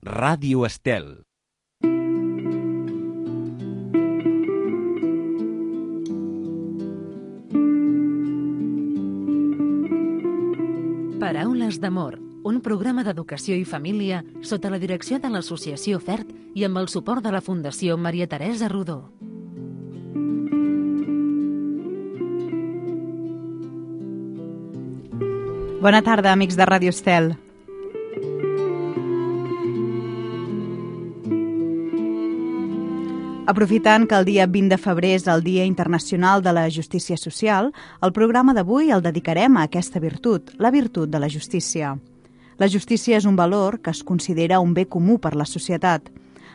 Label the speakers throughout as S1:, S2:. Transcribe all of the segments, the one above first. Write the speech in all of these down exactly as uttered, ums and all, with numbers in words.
S1: Ràdio Estel.
S2: Paraules d'amor, un programa d'educació i família sota la direcció de l'Associació FERT i amb el suport de la Fundació Maria Teresa Rodó.
S3: Bona tarda, amics de Ràdio Estel. Aprofitant que el dia vint de febrer és el Dia Internacional de la Justícia Social, el programa d'avui el dedicarem a aquesta virtut, la virtut de la justícia. La justícia és un valor que es considera un bé comú per la societat.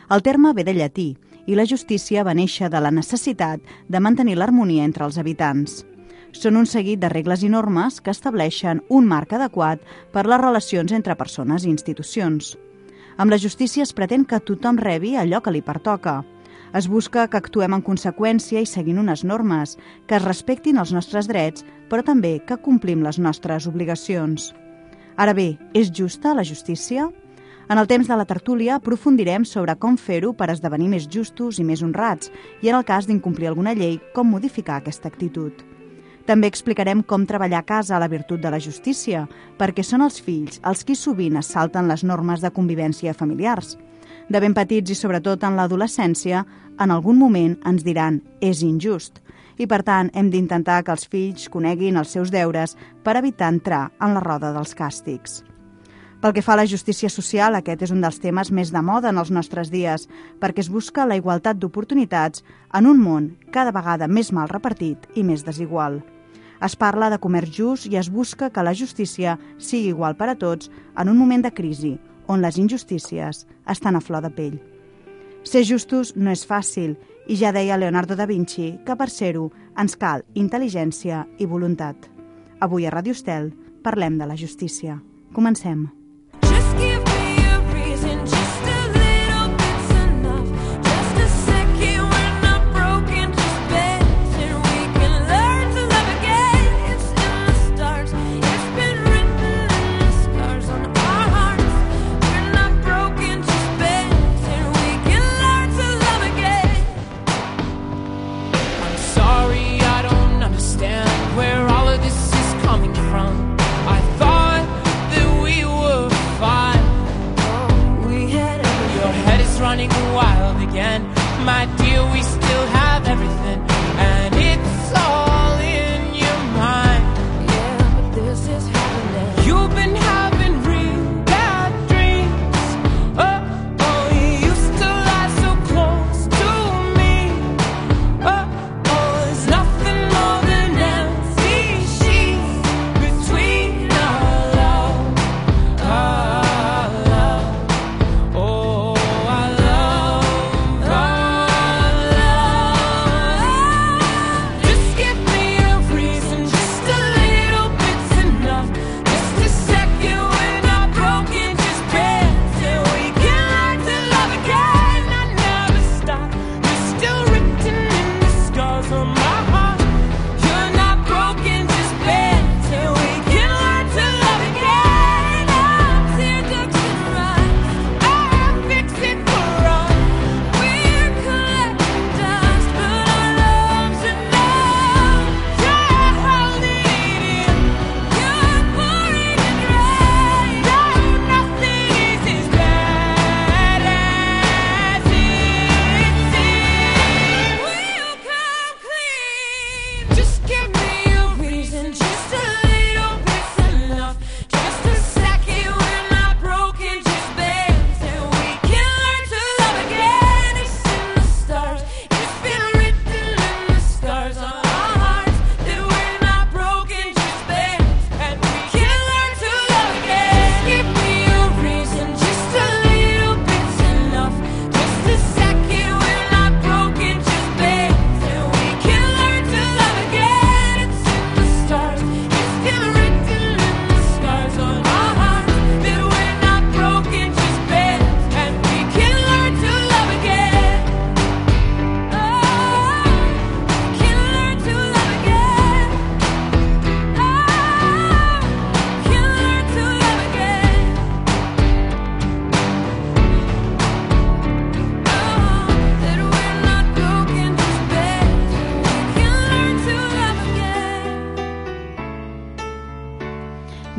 S3: El terme ve de llatí i la justícia va néixer de la necessitat de mantenir l'harmonia entre els habitants. Són un seguit de regles i normes que estableixen un marc adequat per les relacions entre persones i institucions. Amb la justícia es pretén que tothom rebi allò que li pertoca. Es busca que actuem en conseqüència i seguint unes normes, que es respectin els nostres drets, però també que complim les nostres obligacions. Ara bé, és justa la justícia? En el temps de la tertúlia aprofundirem sobre com fer-ho per esdevenir més justos i més honrats i, en el cas d'incomplir alguna llei, com modificar aquesta actitud. També explicarem com treballar a casa a la virtut de la justícia, perquè són els fills els qui sovint es salten les normes de convivència familiars. De ben petits i sobretot en l'adolescència, en algun moment ens diran «és injust» i per tant hem d'intentar que els fills coneguin els seus deures per evitar entrar en la roda dels càstigs. Pel que fa a la justícia social, aquest és un dels temes més de moda en els nostres dies perquè es busca la igualtat d'oportunitats en un món cada vegada més mal repartit i més desigual. Es parla de comerç just i es busca que la justícia sigui igual per a tots en un moment de crisi, on les injustícies estan a flor de pell. Ser justos no és fàcil i ja deia Leonardo da Vinci que per ser-ho ens cal intel·ligència i voluntat. Avui a Ràdio Estel parlem de la justícia. Comencem.
S4: Oh,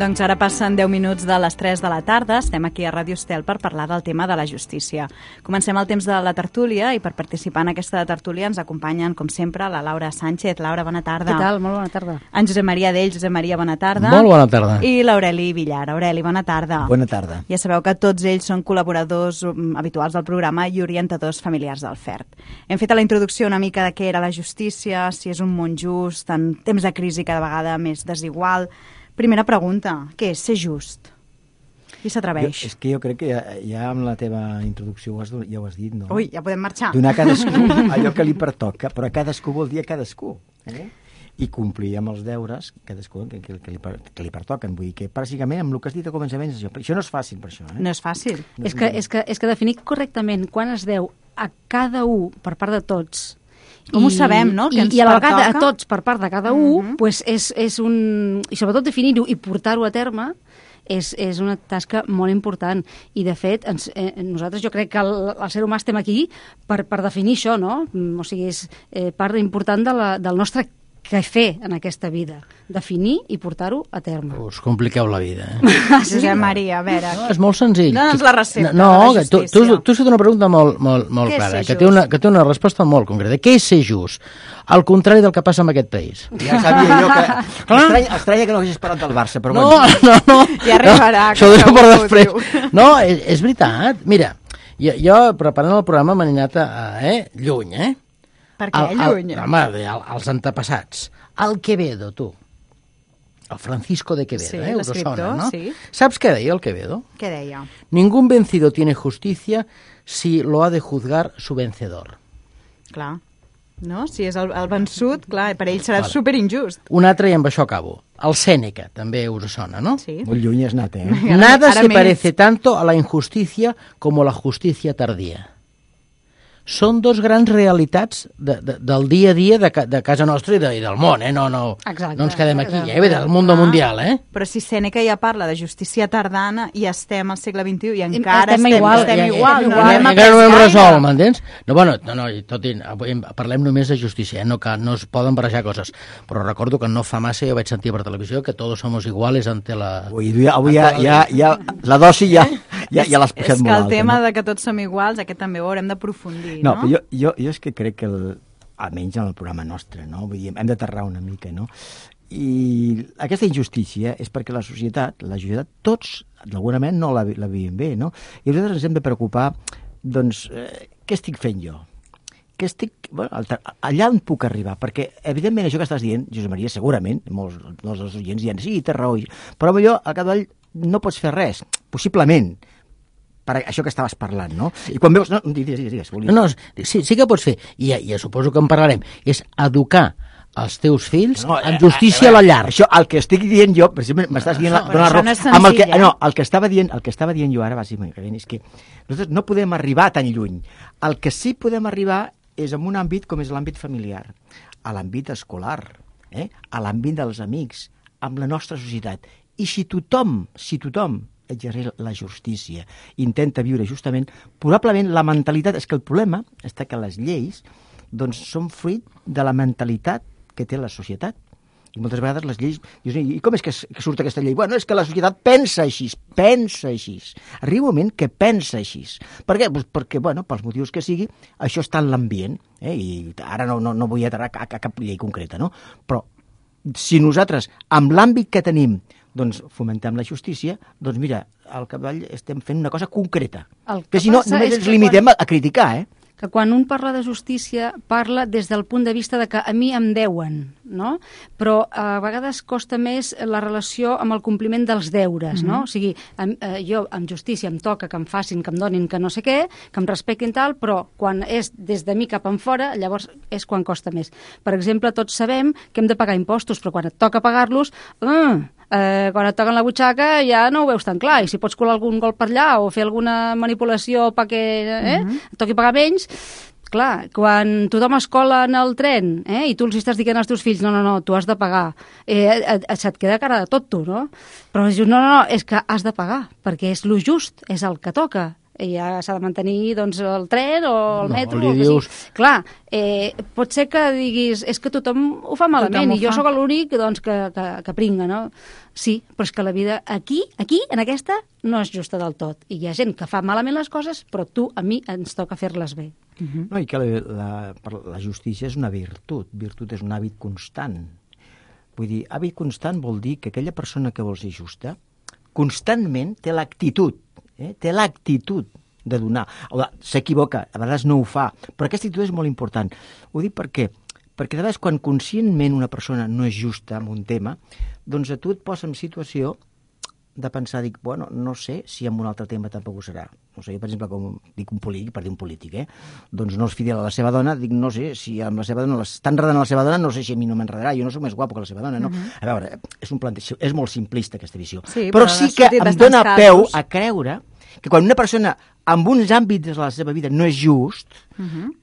S3: Doncs ara passen deu minuts de les tres de la tarda. Estem aquí a Ràdio Estel per parlar del tema de la justícia. Comencem el temps de la tertúlia i per participar en aquesta tertúlia ens acompanyen, com sempre, la Laura Sánchez. Laura, bona tarda.
S1: Què tal? Molt bona tarda.
S3: En Josep Maria Dell. Josep Maria, bona tarda.
S4: Molt bona tarda.
S3: I l'Aureli Villar. Aureli, bona tarda.
S5: Bona tarda.
S3: Ja sabeu que tots ells són col·laboradors habituals del programa i orientadors familiars del F E R T. Hem fet a la introducció una mica de què era la justícia, si és un món just, en temps de crisi cada vegada més desigual. Primera pregunta, què és ser just? Qui s'atreveix?
S5: És que jo crec que ja, ja amb la teva introducció ho has, ja ho has dit, no?
S3: Ui, ja podem marxar.
S5: Donar a cadascú allò que li pertoca, però a cadascú vol dir a cadascú. Eh? I complir amb els deures cadascú que, que, que, li, que li pertoquen. Vull dir que, bàsicament, amb el que has dit a començament, això, això no és fàcil, per això. Eh?
S3: No és fàcil.
S1: No és, que, és, que, és que definir correctament quan es deu a cada un per part de tots,
S3: com I, ho sabem, no? Que
S1: I,
S3: ens
S1: I a la vegada
S3: pertoca?
S1: a tots per part de cada un, uh -huh. pues és, és un... I sobretot definir-ho i portar-ho a terme és, és una tasca molt important. I, de fet, ens, eh, nosaltres jo crec que el, el ser humà estem aquí per, per definir això, no? O sigui, és eh, part important de la, del nostre què fer en aquesta vida. Definir i portar-ho a terme.
S4: Us compliqueu la vida, eh?
S3: Josep Maria, a veure...
S4: No, és molt senzill.
S3: Dóna'ns la recepta
S4: no,
S3: de la
S4: tu,
S3: justícia.
S4: tu, tu has fet una pregunta molt, molt, molt clara, que té, una, que té una resposta molt concreta. Què és ser just? Al contrari del que passa en aquest país.
S5: Ja sabia jo que... Estranya, estranya que no hagués esperat del Barça, però
S4: no,
S5: bueno.
S4: No, no,
S3: ja arribarà.
S4: No, això ho deixo per després. No, és, és veritat. Mira, jo, jo preparant el programa m'he anat a, eh, lluny, eh?
S3: Per què lluny?
S4: Home, als antepassats. El Quevedo, tu. El Francisco de Quevedo,
S3: sí,
S4: eh? Us sona, no?
S3: Sí.
S4: Saps què deia el Quevedo?
S3: Què deia?
S4: Ningún vencido tiene justicia si lo ha de juzgar su vencedor.
S3: Clar. No? Si és el, el vençut, clar, per ell serà
S4: vale.
S3: superinjust.
S4: Un altre, i amb això acabo. El Sèneca, també us sona, no?
S3: Sí.
S5: Molt lluny has anat, eh?
S4: Nada
S3: Ara
S4: se
S3: més.
S4: parece tanto a la injusticia como la justicia tardía. Són dos grans realitats de, de, del dia a dia de, ca, de casa nostra i, de, i del món, eh? No, no,
S1: Exacte.
S4: no ens quedem aquí, eh? Del mundo mundial, eh?
S3: Però si Sèneca ja parla de justícia tardana i estem al segle vint-i-u i encara
S1: Estem
S3: estem,
S1: igual,
S3: estem
S1: ja,
S3: igual.
S1: ja,
S3: No,
S1: ja,
S3: no hem
S4: encara
S3: après
S4: no ho hem
S3: gaire.
S4: resolt, m'entens? No, bueno, no, no, i tot i, avui parlem només de justícia, eh? no, que no es poden barrejar coses, però recordo que no fa massa jo vaig sentir per televisió que todos somos iguales ante la...
S5: Avui, avui ja, ja, ja, la dosi ja, ja, ja l'has posat
S3: És que
S5: molt
S3: el
S5: alta.
S3: tema
S5: no?
S3: de que tots som iguals, aquest també ho haurem d'aprofundir,
S5: No,
S3: no?
S5: però jo, jo, jo és que crec que, el, almenys en el programa nostre, no? Vull dir, hem d'aterrar una mica, no? I aquesta injustícia és perquè la societat, la societat, tots, d'alguna manera, no la, la vivim bé, no? I nosaltres ens hem de preocupar, doncs, eh, què estic fent jo? Què estic... Bueno, allà on puc arribar? Perquè, evidentment, això que estàs dient, Josep Maria, segurament, molts, molts dels oients diuen, sí, té raó, però millor, a Cadell no pots fer res, possiblement, per això que estaves parlant, no? I quan veus... No, digues, digues, digues.
S4: No, no, sí, sí que pots fer, i ja, ja suposo que en parlarem, és educar els teus fills
S5: no,
S4: en justícia
S5: a, a, a,
S4: a la llar.
S5: Això, el que estic dient jo, per exemple, m'estàs dient...
S3: No,
S5: la,
S3: però
S5: la
S3: això
S5: raó,
S3: no és
S5: amb el que,
S3: senzill, eh?
S5: no, el que estava dient, el que estava dient jo ara, bàsicament, és que nosaltres no podem arribar tan lluny. El que sí podem arribar és en un àmbit com és l'àmbit familiar, a l'àmbit escolar, eh? A l'àmbit dels amics, amb la nostra societat. I si tothom, si tothom exerceix la justícia, intenta viure justament, probablement la mentalitat... És que el problema està que les lleis doncs, són fruit de la mentalitat que té la societat. I moltes vegades les lleis... Dius, i com és que, que surt aquesta llei? Bueno, és que la societat pensa així, pensa així. Arriba un moment que pensa així. Per què? Pues perquè, bueno, pels motius que sigui, això està en l'ambient. Eh? I ara no, no, no vull aterrar a, a cap llei concreta, no? Però si nosaltres, amb l'àmbit que tenim, doncs fomentem la justícia, doncs mira, al capdavall estem fent una cosa concreta.
S1: El que
S5: que si no,
S1: passa
S5: només
S1: és
S5: ens
S1: que
S5: limitem
S1: quan-
S5: a, a criticar, eh?
S1: que quan un parla de justícia parla des del punt de vista de que a mi em deuen, no? Però a vegades costa més la relació amb el compliment dels deures, no? O sigui, em, eh, jo amb justícia em toca que em facin, que em donin, que no sé què, que em respectin tal, però quan és des de mi cap en fora, llavors és quan costa més. Per exemple, tots sabem que hem de pagar impostos, però quan et toca pagar-los, eh, eh, quan et toquen la butxaca ja no ho veus tan clar, i si pots colar algun gol per allà o fer alguna manipulació perquè eh, et toqui pagar menys, clar, quan tothom es cola en el tren eh, i tu els estàs dient als teus fills no, no, no, tu has de pagar, eh, et, et, se't queda cara de tot tu, no? Però dius, no, no, no, és que has de pagar, perquè és lo just, és el que toca. i ja s'ha de mantenir doncs, el tren o el
S4: No,
S1: metro.
S4: li
S1: o que
S4: dius-
S1: sigui. Clar, eh, pot ser que diguis és que tothom ho fa malament
S3: Tothom ho
S1: i jo
S3: fa.
S1: sóc l'únic doncs, que, que, que pringa, no? Sí, però és que la vida aquí, aquí, en aquesta, no és justa del tot. I hi ha gent que fa malament les coses, però tu, a mi, ens toca fer-les bé.
S5: No, i que la, la, per la justícia és una virtut. Virtut és un hàbit constant. Vull dir, hàbit constant vol dir que aquella persona que vol ser justa constantment té l'actitud, eh? té l'actitud de donar. O de- S'equivoca, a vegades no ho fa, però aquesta actitud és molt important. Ho dic per què? Perquè de vegades quan conscientment una persona no és justa en un tema, doncs a tu et posa en situació de pensar, dic, bueno, no sé si en un altre tema tampoc ho serà. No sé, jo, per exemple, com dic un polític, per dir un polític, eh? Doncs no és fidel a la seva dona, dic, no sé si amb la seva dona, està enredant a la seva dona, no sé si a mi no m'enredarà, jo no soc més guapo que la seva dona, no? Uh-huh. A veure, és un planteig, és molt simplista aquesta visió.
S3: Sí,
S5: però
S3: però
S5: sí
S3: ha
S5: que
S3: sortit
S5: em
S3: bastants
S5: dóna
S3: casos.
S5: peu a creure que quan una persona en uns àmbits de la seva vida no és just,
S3: Uh-huh.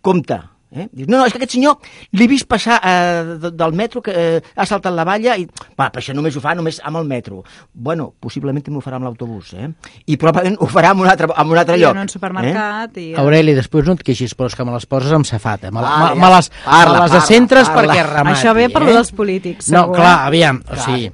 S5: compte. Eh? Dius, no, no, és que aquest senyor l'he vist passar eh, de- del metro, que eh, ha saltat la valla i, va, però això només ho fa només amb el metro. Bueno, possiblement també ho farà amb l'autobús, eh? I probablement ho farà en un altre, en un altre
S3: I
S5: lloc.
S3: en un supermercat.
S5: Eh?
S3: I...
S4: Aureli, després no et queixis, però és que me les poses amb safata. Me,
S5: Parla,
S4: me, me les,
S5: parla,
S4: me les
S5: parla,
S4: centres
S5: parla.
S4: perquè remati.
S3: Això ve per
S4: eh?
S3: lo dels polítics,
S4: No,
S3: segur,
S4: clar,
S3: eh?
S4: aviam, o sigui,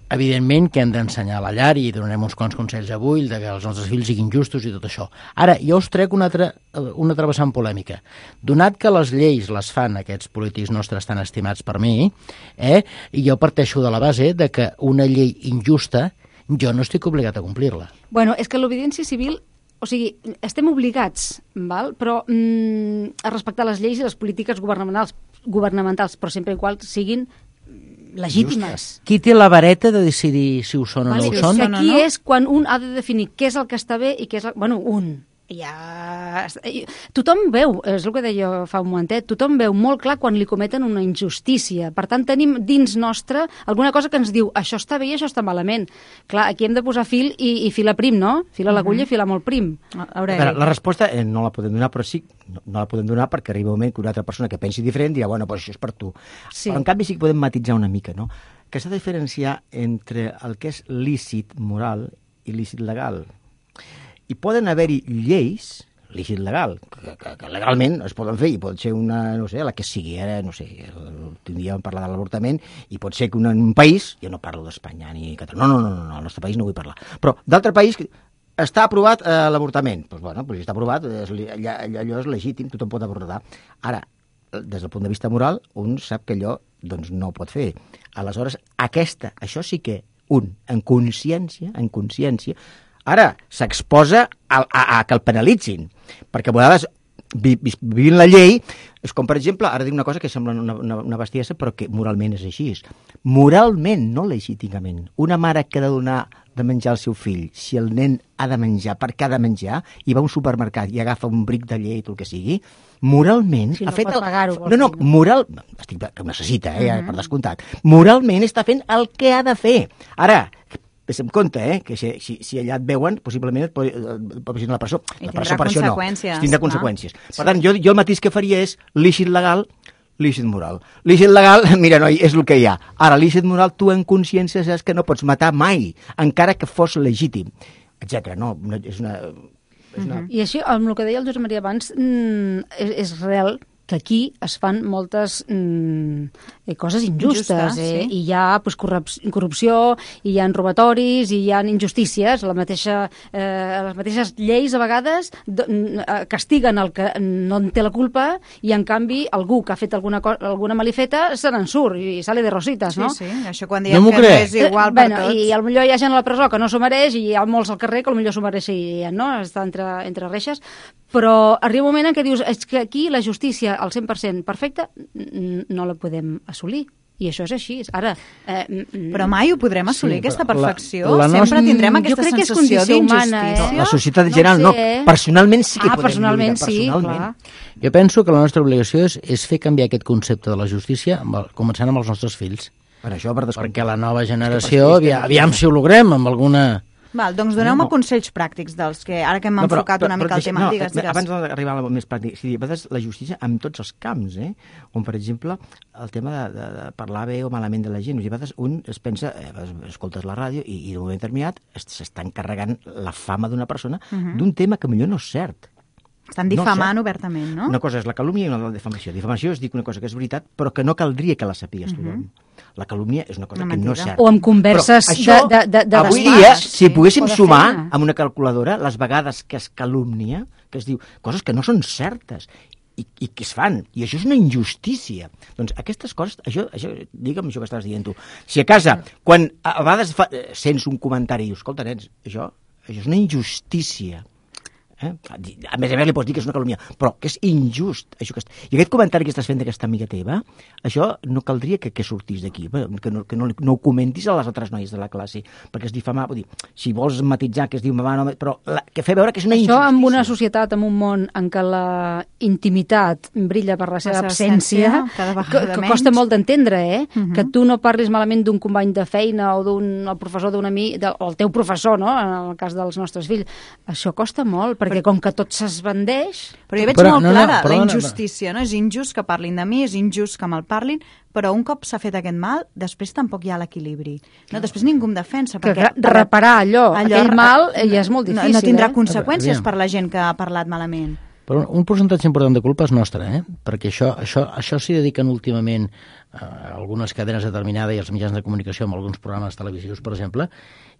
S4: evidentment que hem d'ensenyar a la llar i donarem uns quants consells avui de que els nostres fills siguin justos i tot això. Ara, jo us trec una altra, una altra vessant polèmica. Donat que les lleis les fan aquests polítics nostres tan estimats per mi, eh, i jo parteixo de la base de que una llei injusta jo no estic obligat a complir-la.
S1: Bueno, és que l'obediència civil, o sigui, estem obligats, val? Però mm, a respectar les lleis i les polítiques governamentals, governamentals però sempre i qual siguin legítimes.
S4: Qui té la vareta de decidir si ho són o
S1: Vale,
S4: no ho
S1: és
S4: són?
S1: que
S3: no,
S1: aquí
S3: no?
S1: és quan un ha de definir què és el que està bé i què és el... Bueno, un. Ja... Tothom veu, és el que deia fa un momentet, tothom veu molt clar quan li cometen una injustícia. Per tant, tenim dins nostre alguna cosa que ens diu això està bé i això està malament. Clar, aquí hem de posar fil i, i filar prim, no? Filar l'agulla i filar molt prim.
S5: A
S3: Aureli.
S5: veure, la resposta eh, no la podem donar, però sí, no, no la podem donar perquè arriba un moment que una altra persona que pensi diferent dirà, bueno, doncs això és per tu.
S1: Sí.
S5: Però en canvi sí que podem matitzar una mica, no? Que s'ha de diferenciar entre el que és lícit moral i lícit legal. I poden haver-hi lleis, lícit legal, que, que, que legalment es poden fer, i pot ser una, no sé, la que sigui, ara, no sé, l'últim dia vam parlar de l'avortament, i pot ser que un, un país, jo no parlo d'Espanya ni Catalunya, no, no, no, no, al nostre país no vull parlar, però d'altre país està aprovat eh, l'avortament, doncs bueno, doncs està aprovat, és, allà, allò és legítim, tothom pot avortar. Ara, des del punt de vista moral, un sap que allò doncs, no ho pot fer. Aleshores, aquesta, això sí que un, en consciència, en consciència, ara s'exposa a, a, a que el penalitzin, perquè a vegades vi, vi, vivint la llei, és com per exemple, ara dic una cosa que sembla una, una, una bestiesa, però que moralment és així. Moralment, no legítimament. Una mare que ha de donar de menjar al seu fill, si el nen ha de menjar, perquè ha de menjar, i va a un supermercat i agafa un bric de llet o el que sigui, moralment...
S1: Si no
S5: ha fet
S1: pot
S5: el...
S1: pagar-ho,
S5: No, no,
S1: vols dir, no?
S5: moral... Estic, que ho necessita, eh, uh -huh. per descomptat. Moralment està fent el que ha de fer. Ara, vés en compte, eh, que si, si, si allà et veuen, possiblement et pot, et pot posar a la presó.
S3: I
S5: La
S3: tindrà
S5: presó per això no.
S3: conseqüències,
S5: Tindrà
S3: clar.
S5: conseqüències. Per tant, jo, jo el mateix que faria és lícit legal, lícit moral. Lícit legal, mira, noi, és el que hi ha. Ara, lícit moral, tu en consciència saps que no pots matar mai, encara que fos legítim, etcètera. No, no, és una... És una...
S1: I així, amb el que deia el Josep Maria abans, mm, és, és real que aquí es fan moltes mm, eh, coses injustes.
S3: Injustes,
S1: eh?
S3: sí.
S1: I hi ha pues, corrup- corrupció, i hi ha robatoris, i hi ha injustícies. La mateixa, eh, les mateixes lleis, a vegades, d- n- eh, castiguen el que no en té la culpa i, en canvi, algú que ha fet alguna, co- alguna malifeta se n'en surt i sale de rositas,
S3: Sí,
S1: no?
S3: sí, això quan
S4: No
S3: diem
S4: m'ho
S3: que
S4: crec.
S3: és igual
S1: Eh,
S3: per
S1: bueno,
S3: tots.
S1: I potser hi ha gent a la presó que no s'ho mereix i hi ha molts al carrer que potser s'ho mereixen, no? Està entre, entre reixes. Però arriba un moment en què dius és que aquí la justícia al cent per cent perfecta n- no la podem assolir. I això és així. Ara... Eh, mm,
S3: Però mai ho podrem assolir,
S4: Sí,
S3: aquesta
S4: però la-
S3: perfecció.
S4: la
S3: Sempre
S4: nostra-
S3: tindrem
S1: Jo
S3: aquesta
S1: crec que és
S3: sensació
S1: condició humana,
S3: d'injustícia.
S1: eh?
S5: La societat en
S1: No
S5: general
S1: sé,
S5: no.
S1: eh?
S5: Personalment sí que
S1: ah,
S5: podem
S1: personalment
S5: lluitar,
S1: sí,
S5: personalment.
S1: clar.
S4: Jo penso que la nostra obligació és, és fer canviar aquest concepte de la justícia, amb el, començant amb els nostres fills.
S5: Per això, per descomptat.
S4: Perquè la nova generació, aviam, aviam si ho logrem amb alguna...
S3: Val, doncs doneu-me no. consells pràctics dels que, ara que hem no, però, enfocat però, una mica però, el tema, no, digues, digues.
S5: Abans d'arribar a la més pràctic, sí, a vegades la justícia en tots els camps, eh? On, per exemple, el tema de, de, de parlar bé o malament de la gent, a vegades un es pensa, eh, escoltes la ràdio i, i d'un moment determinat s'està encarregant la fama d'una persona uh -huh. d'un tema que millor no és cert.
S3: Estan difamant no obertament, no?
S5: Una cosa és la calúmnia i una altra la difamació. Difamació és dir una cosa que és veritat, però que no caldria que la sapigues uh -huh. tothom. La calúmnia és una cosa una que no és certa.
S1: O amb converses
S5: això,
S1: de, de, de
S5: avui dia, si poguéssim sumar amb una calculadora les vegades que es calúmnia, que es diu coses que no són certes, i, i que es fan, i això és una injustícia. Doncs aquestes coses, això, això digue'm això que estàs dient tu. Si a casa, quan a vegades fa, sents un comentari i dius, escolta, nens, això, això és una injustícia. Eh? A més a més li pots dir que és una calúmnia, però que és injust. Això que est... I aquest comentari que estàs fent d'aquesta amiga teva, això no caldria que, que sortís d'aquí, que, no, que no, no ho comentis a les altres noies de la classe, perquè és difamar, vull dir, si vols matitzar que es diu mamà, no, però la, que fer veure que és una injustícia.
S1: Això en una societat, en un món en què la intimitat brilla per la seva la absència, que, que costa molt d'entendre, eh? Uh -huh. Que tu no parlis malament d'un company de feina o d'un professor d'un amic, de, o el teu professor, no?, en el cas dels nostres fills. Això costa molt, perquè com que tot s'esbandeix...
S3: Però jo veig però, molt no, clara no, la injustícia, no, no? És injust que parlin de mi, és injust que me'l parlin, però un cop s'ha fet aquest mal, després tampoc hi ha l'equilibri. No, després ningú em defensa.
S1: Que perquè, reparar allò, allò, aquell mal, ja és molt difícil.
S3: No, no tindrà
S1: eh?
S3: conseqüències per la gent que ha parlat malament.
S4: Però un percentatge important de culpa és nostre, eh? Perquè això, això, això s'hi dediquen últimament a algunes cadenes determinades i els mitjans de comunicació amb alguns programes televisius, per exemple,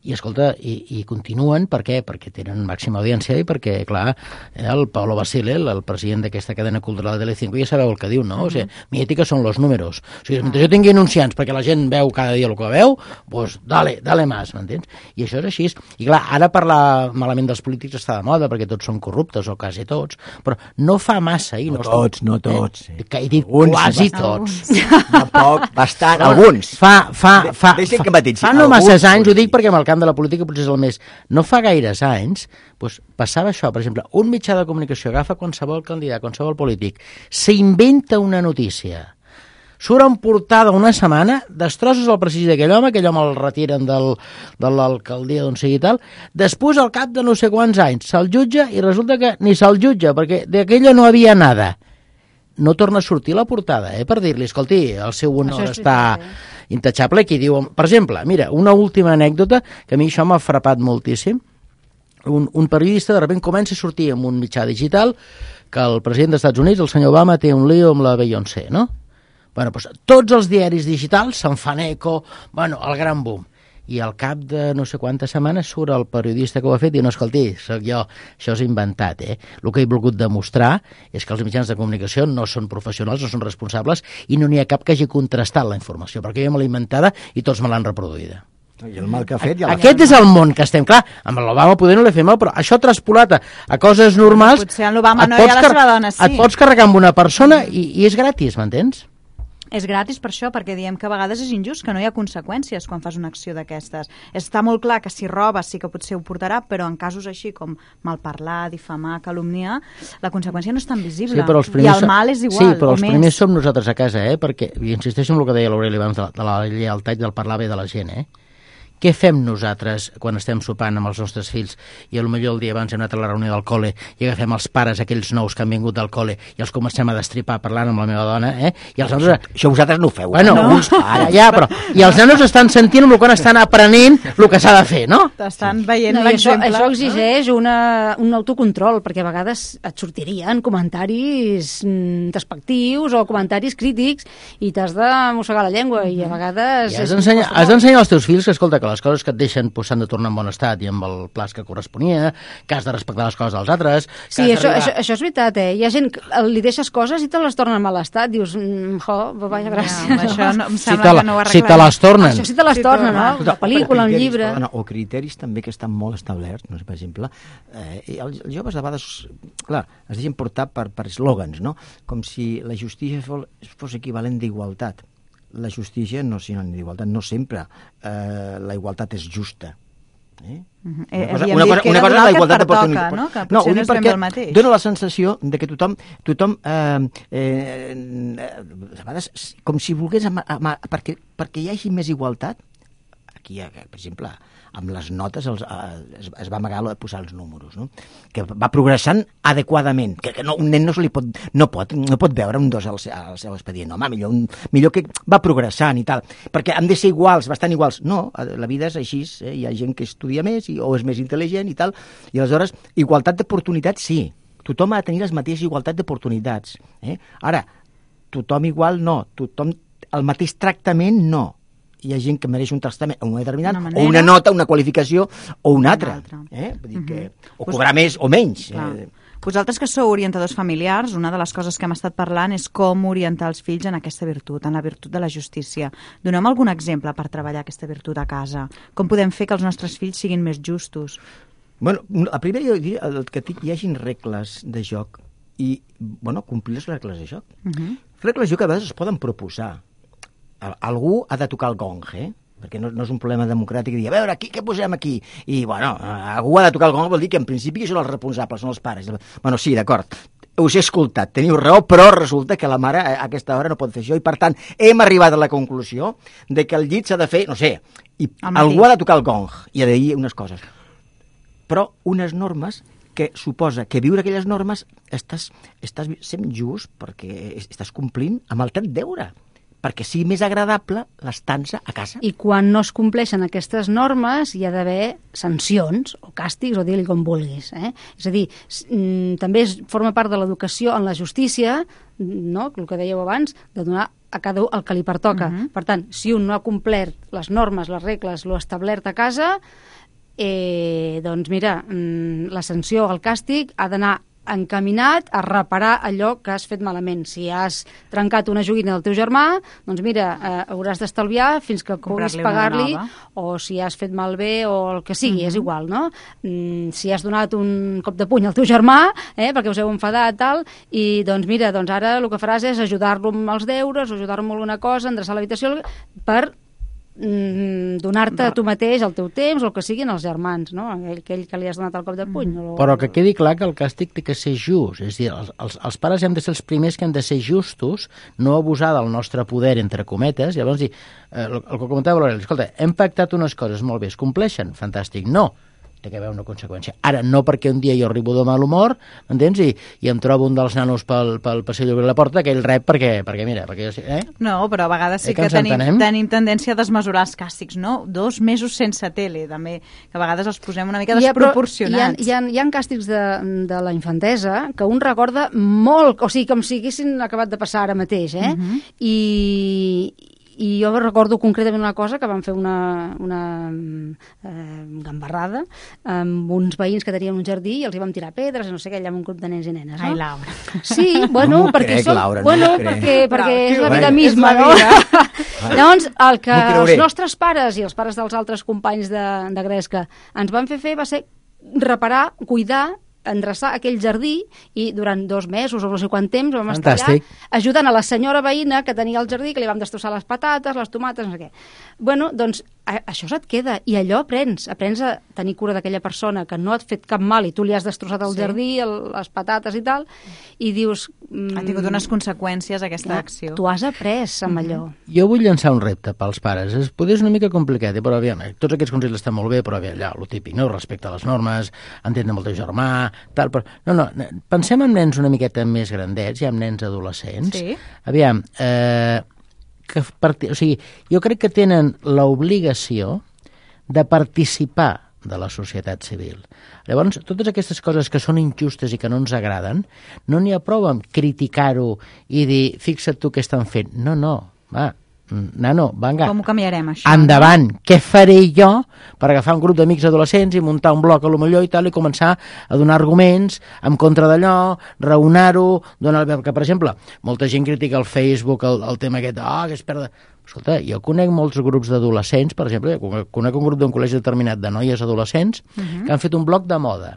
S4: i escolta, i, i continuen, per què? Perquè tenen màxima audiència i perquè, clar, el Paulo Basile, el, el president d'aquesta cadena cultural de Telecinco, ja sabeu el que diu, no? Uh -huh. O sigui, mi ètica són los números. O sigui, mentre jo tingui anunciants perquè la gent veu cada dia el que veu, doncs dale, dale más, m'entens? I això és així. I clar, ara parlar malament dels polítics està de moda perquè tots són corruptes, o quasi tots, però no fa massa. I
S5: no, no tots, no tots.
S4: Eh? Que he dit alguns, quasi tots.
S5: Tampoc, bastant, alguns.
S4: Fa, fa, fa,
S5: Deixen que mateixi.
S4: Fa no masses anys, ho dic perquè amb el camp de la política potser és el més... No fa gaires anys, doncs passava això, per exemple, un mitjà de comunicació agafa qualsevol candidat, qualsevol polític, s'inventa una notícia, surt en portada una setmana, destrosses el prestigi d'aquell home, aquell home el retiren del, de l'alcaldia d'on sigui tal, després al cap de no sé quants anys se'l jutja i resulta que ni se'l jutja, perquè d'aquella no havia nada. No torna a sortir la portada, eh, per dir-li, escolti, el seu honor està intachable, qui diu... Per exemple, mira, una última anècdota, que a mi això m'ha frapat moltíssim. Un, un periodista de sobte comença a sortir en un mitjà digital que el president dels Estats Units, el senyor Obama, té un lío amb la Beyoncé, no? Bueno, doncs tots els diaris digitals se'n fan eco, bueno, el gran boom. I al cap de no sé quantes setmanes surt el periodista que ho ha fet i no, escolti, soc jo, això és inventat, eh? El que he volgut demostrar és que els mitjans de comunicació no són professionals, no són responsables i no n'hi ha cap que hagi contrastat la informació, perquè jo me l'he inventada i tots me l'han reproduïda.
S5: I el mal que ha fet... Ja
S4: Aquest és el món que estem, clar, amb l'Obama poder no l'he fet mal, però això traspolat a, a coses normals...
S3: Potser amb l'Obama no hi ha la seva dona, sí.
S4: Et pots carregar amb una persona i, i és gratis, m'entens?
S3: És gratis per això, perquè diem que a vegades és injust, que no hi ha conseqüències quan fas una acció d'aquestes. Està molt clar que si robes sí que potser ho portarà, però en casos així com malparlar, difamar, calumniar, la conseqüència no és tan visible.
S4: Sí, però els
S3: I el mal és igual,
S4: sí, però els
S3: més.
S4: primers som nosaltres a casa, eh? Perquè, i insisteixo en el que deia l'Aureli abans de, de la lleialtat i del parlar bé de la gent, eh? Què fem nosaltres quan estem sopant amb els nostres fills i potser el dia abans hem anat a la reunió del col·le i agafem els pares, aquells nous que han vingut del col·le, i els comencem a destripar parlant amb la meva dona, eh? I els nanos...
S5: Això vosaltres no ho feu.
S4: Bueno,
S5: no?
S4: uns pares, ja, però... I els nanos estan sentint el quan estan aprenent el que s'ha de fer, no?
S3: Estan veient
S1: no,
S3: l'exemple.
S1: Això, això exigeix una, un autocontrol, perquè a vegades et sortirien comentaris mm, despectius o comentaris crítics i t'has de mossegar la llengua, i a vegades...
S4: I has d'ensenyar als teus fills que, escolta, que les coses que et deixen pues, s'han de tornar en bon estat i amb el plaç que corresponia, que has de respectar les coses dels altres...
S1: Sí, això, això, això és veritat, eh? Hi ha gent que li deixes coses i te les tornen en mal estat. Dius, mm, jo, vaja, gràcies.
S3: No, això no, em
S4: si
S3: sembla
S4: la,
S3: que no ho arreglarem.
S4: Si te les tornen.
S1: Això sí te les
S3: sí,
S1: tornen, no?
S5: Escolta,
S1: La pel·lícula, un llibre...
S5: Perdona, o criteris també que estan molt establerts, no sé, per exemple, eh, els, els joves de vegades, clar, es deixen portar per, per eslògans, no? Com si la justícia fos, fos equivalent d'igualtat. La justícia no és sinònim d'igualtat, no sempre eh, la igualtat és justa. Eh?
S3: Uh-huh.
S5: Una cosa, una cosa, una cosa és la igualtat d'oportunitats.
S3: No? Que
S5: no, ho dic
S3: no
S5: perquè dona la sensació de que tothom, tothom eh, eh, a vegades, com si volgués, ama, ama, perquè, perquè hi hagi més igualtat, aquí, per exemple, amb les notes els, es, es va amagar de posar els números, no? Que va progressant adequadament, que, que no, un nen no, se li pot, no, pot, no pot veure un dos al, al seu expedient, no, home, millor, un, millor que va progressant i tal, perquè han de ser iguals, bastant iguals. No, la vida és així, eh? Hi ha gent que estudia més i, o és més intel·ligent i tal, i aleshores, igualtat d'oportunitats, sí, tothom ha de tenir les mateixes igualtats d'oportunitats. Eh? Ara, tothom igual no, tothom el mateix tractament no. Hi ha gent que mereix un tractament un determinat, una o una nota, una qualificació, o una altra. Eh? Vull dir que, o cobrar més o menys. Eh?
S3: Vosaltres que sou orientadors familiars, una de les coses que hem estat parlant és com orientar els fills en aquesta virtut, en la virtut de la justícia. Donem algun exemple per treballar aquesta virtut a casa? Com podem fer que els nostres fills siguin més justos?
S5: Bueno, a primer jo diria el que hi hagin regles de joc i, bueno, complir les regles de joc. Uh-huh. Les regles de joc a vegades es poden proposar. Algú ha de tocar el gong, eh? Perquè no, no és un problema democràtic de dir, a veure, aquí, què posem aquí? I, bueno, algú ha de tocar el gong vol dir que en principi són els responsables, són els pares. Bueno, sí, d'acord, us he escoltat, teniu raó, però resulta que la mare a aquesta hora no pot fer això i, per tant, hem arribat a la conclusió de que el llit s'ha de fer, no sé, i algú ha de tocar el gong i ha de dir unes coses. Però unes normes que suposa que viure aquelles normes estàs, estàs sent just perquè estàs complint amb el teu deure, perquè sigui més agradable l'estança a casa.
S1: I quan no es compleixen aquestes normes hi ha d'haver sancions o càstigs, o dir-li com vulguis. Eh? És a dir, també forma part de l'educació en la justícia, no? El que dèieu abans, de donar a cada un el que li pertoca. Uh-huh. Per tant, si un no ha complert les normes, les regles, lo establert a casa, eh, doncs mira, la sanció, el càstig, ha d'anar encaminat a reparar allò que has fet malament. Si has trencat una joguina del teu germà, doncs mira, eh, hauràs d'estalviar fins que puguis pagar-li, o si has fet malbé o el que sigui, uh-huh. és igual, no? Mm, si has donat un cop de puny al teu germà, eh, perquè us heu enfadat, tal, i doncs mira, doncs ara el que faràs és ajudar-lo amb els deures, o ajudar-lo amb alguna cosa, endreçar l'habitació, per donar-te a tu mateix el teu temps o el que siguin els germans, no? Aquell, aquell que li has donat el cop de puny. Mm.
S4: Però que quedi clar que el càstig té que ser just, és a dir, els, els, els pares hem de ser els primers que hem de ser justos, no abusar del nostre poder, entre cometes, i llavors dir, eh, el, el que comentava l'Aureli, escolta, hem pactat unes coses molt bé, es compleixen? Fantàstic. No, té que haver una conseqüència. Ara, no perquè un dia jo arribo de mal humor, m'entens? I, i em trobo un dels nanos pel, pel passeig d'obrir la porta, que ell rep perquè, perquè mira, perquè jo... Eh?
S3: No, però a vegades sí eh, que, que tenim, tenim tendència a desmesurar els càstigs, no? Dos mesos sense tele, també, que a vegades els posem una mica desproporcionats.
S1: Hi ha, hi ha, hi ha càstigs de, de la infantesa que un recorda molt, o sigui, com si haguessin acabat de passar ara mateix, eh? Uh-huh. I... I jo recordo concretament una cosa, que van fer una, una eh, gambarrada amb uns veïns que tenien un jardí i els hi vam tirar pedres, no sé què, allà amb un grup de nens i nenes, no?
S3: Ai, Laura.
S1: Sí, bueno,
S5: no
S1: perquè,
S5: crec,
S1: som,
S5: Laura,
S1: bueno,
S5: no
S1: perquè, perquè
S5: Laura,
S1: és la
S5: bueno,
S1: vida misma,
S3: és la
S1: no?
S3: vida.
S1: Llavors, el que els nostres pares i els pares dels altres companys de, de Gresca ens van fer fer va ser reparar, cuidar, endreçar aquell jardí, i durant dos mesos o no sé quant temps vam estar allà ajudant a la senyora veïna que tenia el jardí, que li vam destrossar les patates, les tomates, no sé què. Bueno, doncs a, això se't queda, i allò aprens, aprens a tenir cura d'aquella persona que no et ha fet cap mal i tu li has destrossat el sí. jardí, el, les patates i tal, i dius...
S3: Mm, ha tingut unes conseqüències aquesta no, acció.
S1: Tu has après amb allò.
S4: Jo vull llançar un repte pels pares. Es potser és una mica complicat, però aviam, tots aquests consells estan molt bé, però aviam, allà, lo típic, no? Respecte a les normes, entendre amb el teu germà, tal, però... No, no, pensem en nens una miqueta més grandets, ja en nens adolescents.
S3: Sí.
S4: Aviam, eh, que part... o sigui, jo crec que tenen l'obligació de participar de la societat civil. Llavors, totes aquestes coses que són injustes i que no ens agraden, no n'hi ha prou amb criticar-ho i dir, fixa't tu què estan fent. No, no, va, nano, vinga.
S3: Com ho canviarem, això?
S4: Endavant, no? Què faré jo per agafar un grup d'amics adolescents i muntar un bloc a lo millor i tal, i començar a donar arguments en contra d'allò, raonar-ho, donar... que, per exemple, molta gent critica el Facebook, el, el tema aquest, ah, oh, que es perda... Escolta, jo conec molts grups d'adolescents, per exemple, conec un grup d'un col·legi determinat de noies adolescents uh-huh. que han fet un bloc de moda.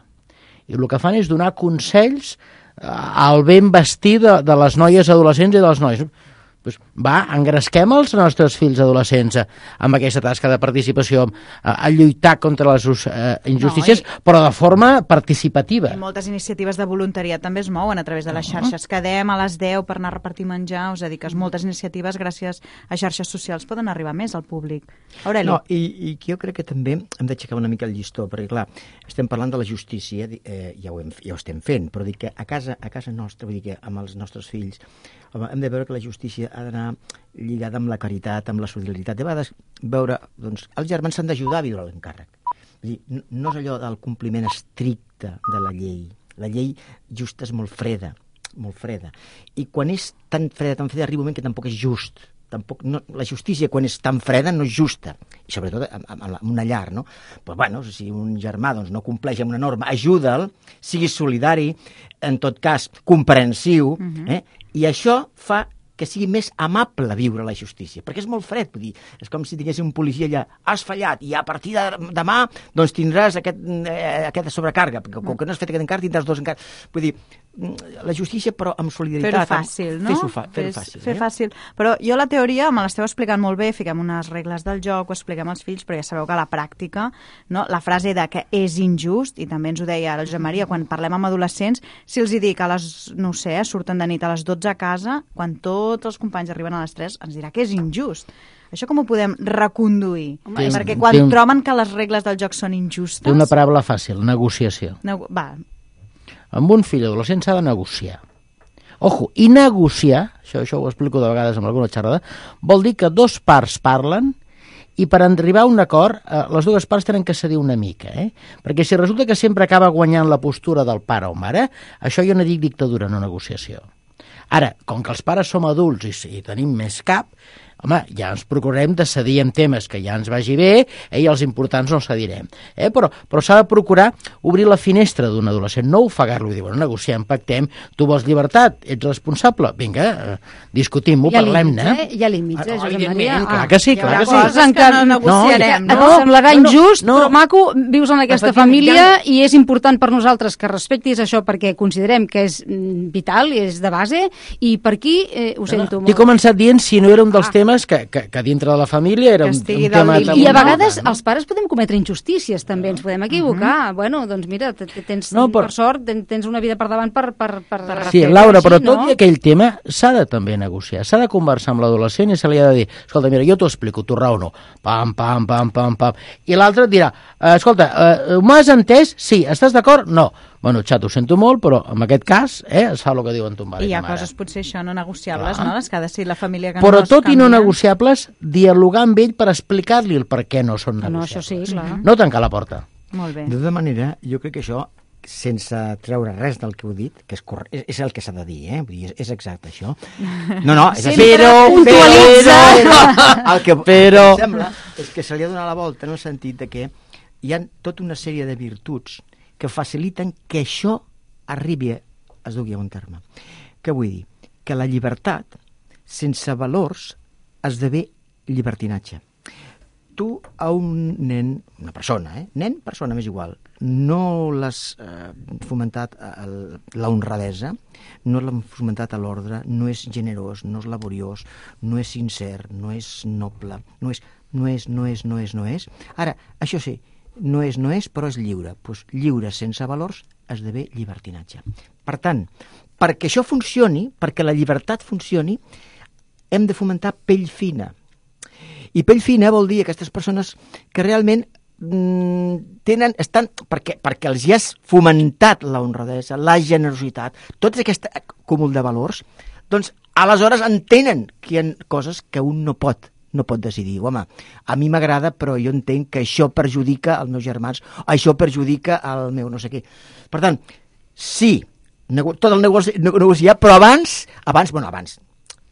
S4: I el que fan és donar consells al ben vestir de, de les noies adolescents i dels nois. Pues va, engresquem els nostres fills adolescents amb aquesta tasca de participació, a, a lluitar contra les uh, injustícies, no, i... però de forma participativa.
S3: I moltes iniciatives de voluntariat també es mouen a través de les xarxes. Quedem a les deu per anar a repartir menjar, us dediques moltes iniciatives gràcies a xarxes socials poden arribar més al públic. Aureli.
S5: No, i, i jo crec que també hem d'aixecar una mica el llistó, perquè clar, estem parlant de la justícia, eh, ja, ho hem, ja ho estem fent, però dic que a casa, a casa nostra, vull dir que amb els nostres fills, home, hem de veure que la justícia ha d'anar lligada amb la caritat, amb la solidaritat. De vegades veure, doncs, els germans s'han d'ajudar a viure l'encàrrec. Vull dir, no és allò del compliment estricte de la llei. La llei justa és molt freda, molt freda. I quan és tan freda, tan freda, arriba un moment que tampoc és just. Tampoc, no, la justícia, quan és tan freda, no és justa. I sobretot en, en, en una llar, no? Pues, bueno, si un germà doncs, no compleix amb una norma, ajuda'l, sigui solidari, en tot cas, comprensiu, uh-huh. eh? I això fa que sigui més amable viure la justícia, perquè és molt fred, vull dir, és com si tingués un policia allà, has fallat, i a partir de demà doncs tindràs aquest, eh, aquesta sobrecàrrega, perquè com que no has fet aquest encàrrec tindràs dos encàrrecs. Vull dir, la justícia però amb solidaritat.
S3: Fer-ho fàcil, no?
S5: Fer-ho fa, fer fàcil.
S3: Fer
S5: eh?
S3: fàcil. Però jo la teoria me l'esteu explicant molt bé, fiquem unes regles del joc, ho expliquem als fills, però ja sabeu que a la pràctica, no? La frase de que és injust, i també ens ho deia el Josep Maria, quan parlem amb adolescents, si els hi dic a les, no sé, surten de nit a les dotze a casa, quan tots els companys arriben a les tres, ens dirà que és injust. Això com ho podem reconduir? Home,
S4: té,
S3: perquè quan
S4: un,
S3: troben que les regles del joc són injustes...
S4: Té una paraula fàcil, negociació.
S3: Nego va.
S4: Amb un fill adolescent s'ha de negociar. Ojo, i negociar, això, això ho explico de vegades amb alguna xerrada, vol dir que dos parts parlen i per arribar a un acord, eh, les dues parts tenen que cedir una mica, eh? Perquè si resulta que sempre acaba guanyant la postura del pare o mare, això jo no dic dictadura, no negociació. Ara, com que els pares som adults i, i tenim més cap, home, ja ens procurarem de cedir en temes que ja ens vagi bé, eh, i els importants no cedirem. Eh? Però, però s'ha de procurar obrir la finestra d'un adolescent, no ofegar-lo i dir, bueno, negociem, pactem, tu vols llibertat, ets responsable, vinga, eh, discutim-ho, parlem-ne.
S1: Eh? Hi ha límits, eh, Josep Maria?
S4: Clar que sí, clar que sí.
S3: Coses en què no negociarem,
S1: no?
S3: no?
S1: Et semblarà
S4: no, no,
S1: injust,
S4: no.
S1: però maco, vius en aquesta família i és important per nosaltres que respectis això perquè considerem que és vital, és de base, i per aquí eh, ho sento
S4: no, no.
S1: molt.
S4: T'he començat dient si no era un dels ah. temes Que, que, que dintre de la família era un, un tema...
S1: I, i a vegades no? els pares podem cometre injustícies, també ens podem equivocar. Uh -huh. Bueno, doncs mira, tens, no, per... per sort, tens una vida per davant per... per, per
S4: sí, Laura, així, però tot no? I aquell tema s'ha de també negociar, s'ha de conversar amb l'adolescent i se li ha de dir, escolta, mira, jo t'ho explico, tu raó no, pam, pam, pam, pam, pam, i l'altre et dirà, escolta, uh, m'has entès? Sí, estàs d'acord? No. Bueno, xat, ho sento molt, però en aquest cas eh, es fa el que diuen ton pare.
S3: I hi ha coses potser això no negociables,
S4: Clar.
S3: no? Les que ha de ser la família que
S4: però
S3: no es
S4: tot
S3: canvien.
S4: I no negociables, dialogar amb ell per explicar-li el per què no són negociables.
S1: No, això sí, clar.
S4: No tancar la porta.
S3: Molt bé.
S5: De tota manera, jo crec que això, sense treure res del que heu dit, que és, corre... és, és el que s'ha de dir, eh? Vull dir, és, és exacte, això. No, no, és
S1: Sempre
S5: però,
S1: puntualitza.
S5: però, el que
S4: però...
S5: em sembla és que se li ha donat la volta en el sentit de que hi ha tota una sèrie de virtuts que faciliten que això arribi, es dugui a un terme. Què vull dir? Que la llibertat, sense valors, esdevé llibertinatge. Tu a un nen, una persona, eh? nen, persona, m'és igual, no l'has eh, fomentat la honradesa, no l'has fomentat a l'ordre, no és generós, no és laboriós, no és sincer, no és noble, no és, no és, no és, no és, no és. Ara, això sí, no és, no és, però és lliure. Pues lliure sense valors esdevé llibertinatge. Per tant, perquè això funcioni, perquè la llibertat funcioni, hem de fomentar pell fina. I pell fina vol dir aquestes persones que realment mmm, tenen, estan, perquè, perquè els hi has fomentat la honradesa, la generositat, tot aquest cúmul de valors, doncs aleshores entenen que hi ha coses que un no pot no pot decidir. Home, a mi m'agrada, però jo entenc que això perjudica els meus germans, això perjudica el meu no sé què. Per tant, sí, nego tot el negoci negociar, però abans, abans, bueno, abans,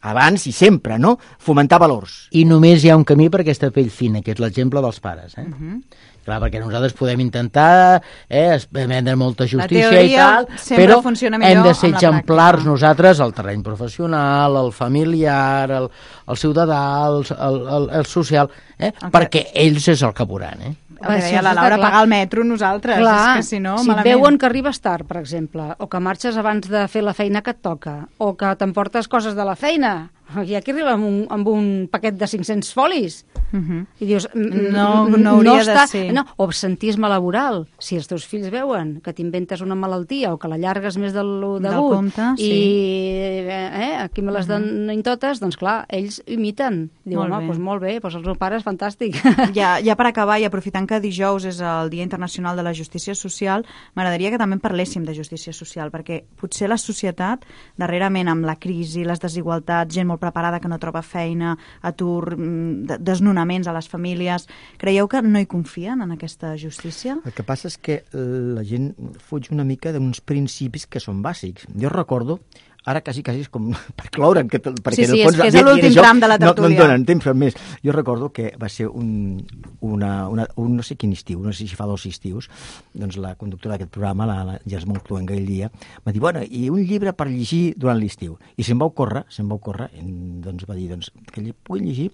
S5: abans i sempre, no? Fomentar valors.
S4: I només hi ha un camí per aquesta pell fina, que és l'exemple dels pares, eh?
S3: Uh -huh.
S4: Clar, perquè nosaltres podem intentar eh, vendre molta justícia
S3: teoria
S4: i tal, però hem de ser exemplars nosaltres al terreny professional, al familiar, al, al ciutadà, al, al, al social, eh? Okay. Perquè ells és el que veuran, eh?
S3: el que deia la Laura, pagar el metro nosaltres.
S1: Clar,
S3: és que si no,
S1: si
S3: malament.
S1: veuen que arribes tard, per exemple, o que marxes abans de fer la feina que et toca, o que t'emportes coses de la feina, hi ha qui arriba amb un, amb un paquet de cinc-cents folis,
S3: Uh -huh.
S1: i dius,
S3: No, no hauria de ser.
S1: No, o absentisme laboral. Si els teus fills veuen que t'inventes una malaltia o que l'allargues més del
S3: Del
S1: degut
S3: compte,
S1: i
S3: sí.
S1: eh, aquí me les donen totes, doncs clar, ells imiten. Diuen,
S3: Molt
S1: home,
S3: bé.
S1: doncs molt bé, doncs els meus pares, fantàstic.
S3: Ja, ja per acabar, i aprofitant que dijous és el Dia Internacional de la Justícia Social, m'agradaria que també parléssim de justícia social, perquè potser la societat, darrerament amb la crisi, les desigualtats, gent molt preparada que no troba feina, atur, mm, desnonaments a les famílies, creieu que no hi confien en aquesta justícia?
S5: El que passa és que la gent fuig una mica d'uns principis que són bàsics. Jo recordo, ara quasi, quasi és com per cloure'n, que, perquè
S3: Sí, sí,
S5: en el fons,
S3: és que és
S5: dient-
S3: l'últim
S5: dient això,
S3: tram de la
S5: no, no
S3: tertúlia.
S5: em donen temps per més. Jo recordo que va ser un, una, una, un no sé quin estiu, no sé si fa dos estius, doncs la conductora d'aquest programa, la, la Jasmine Cluenga, aquell dia, va dir, bueno, i un llibre per llegir durant l'estiu. I se'm va ocórrer, se'm va ocórrer, doncs va dir, doncs, que pugui llegir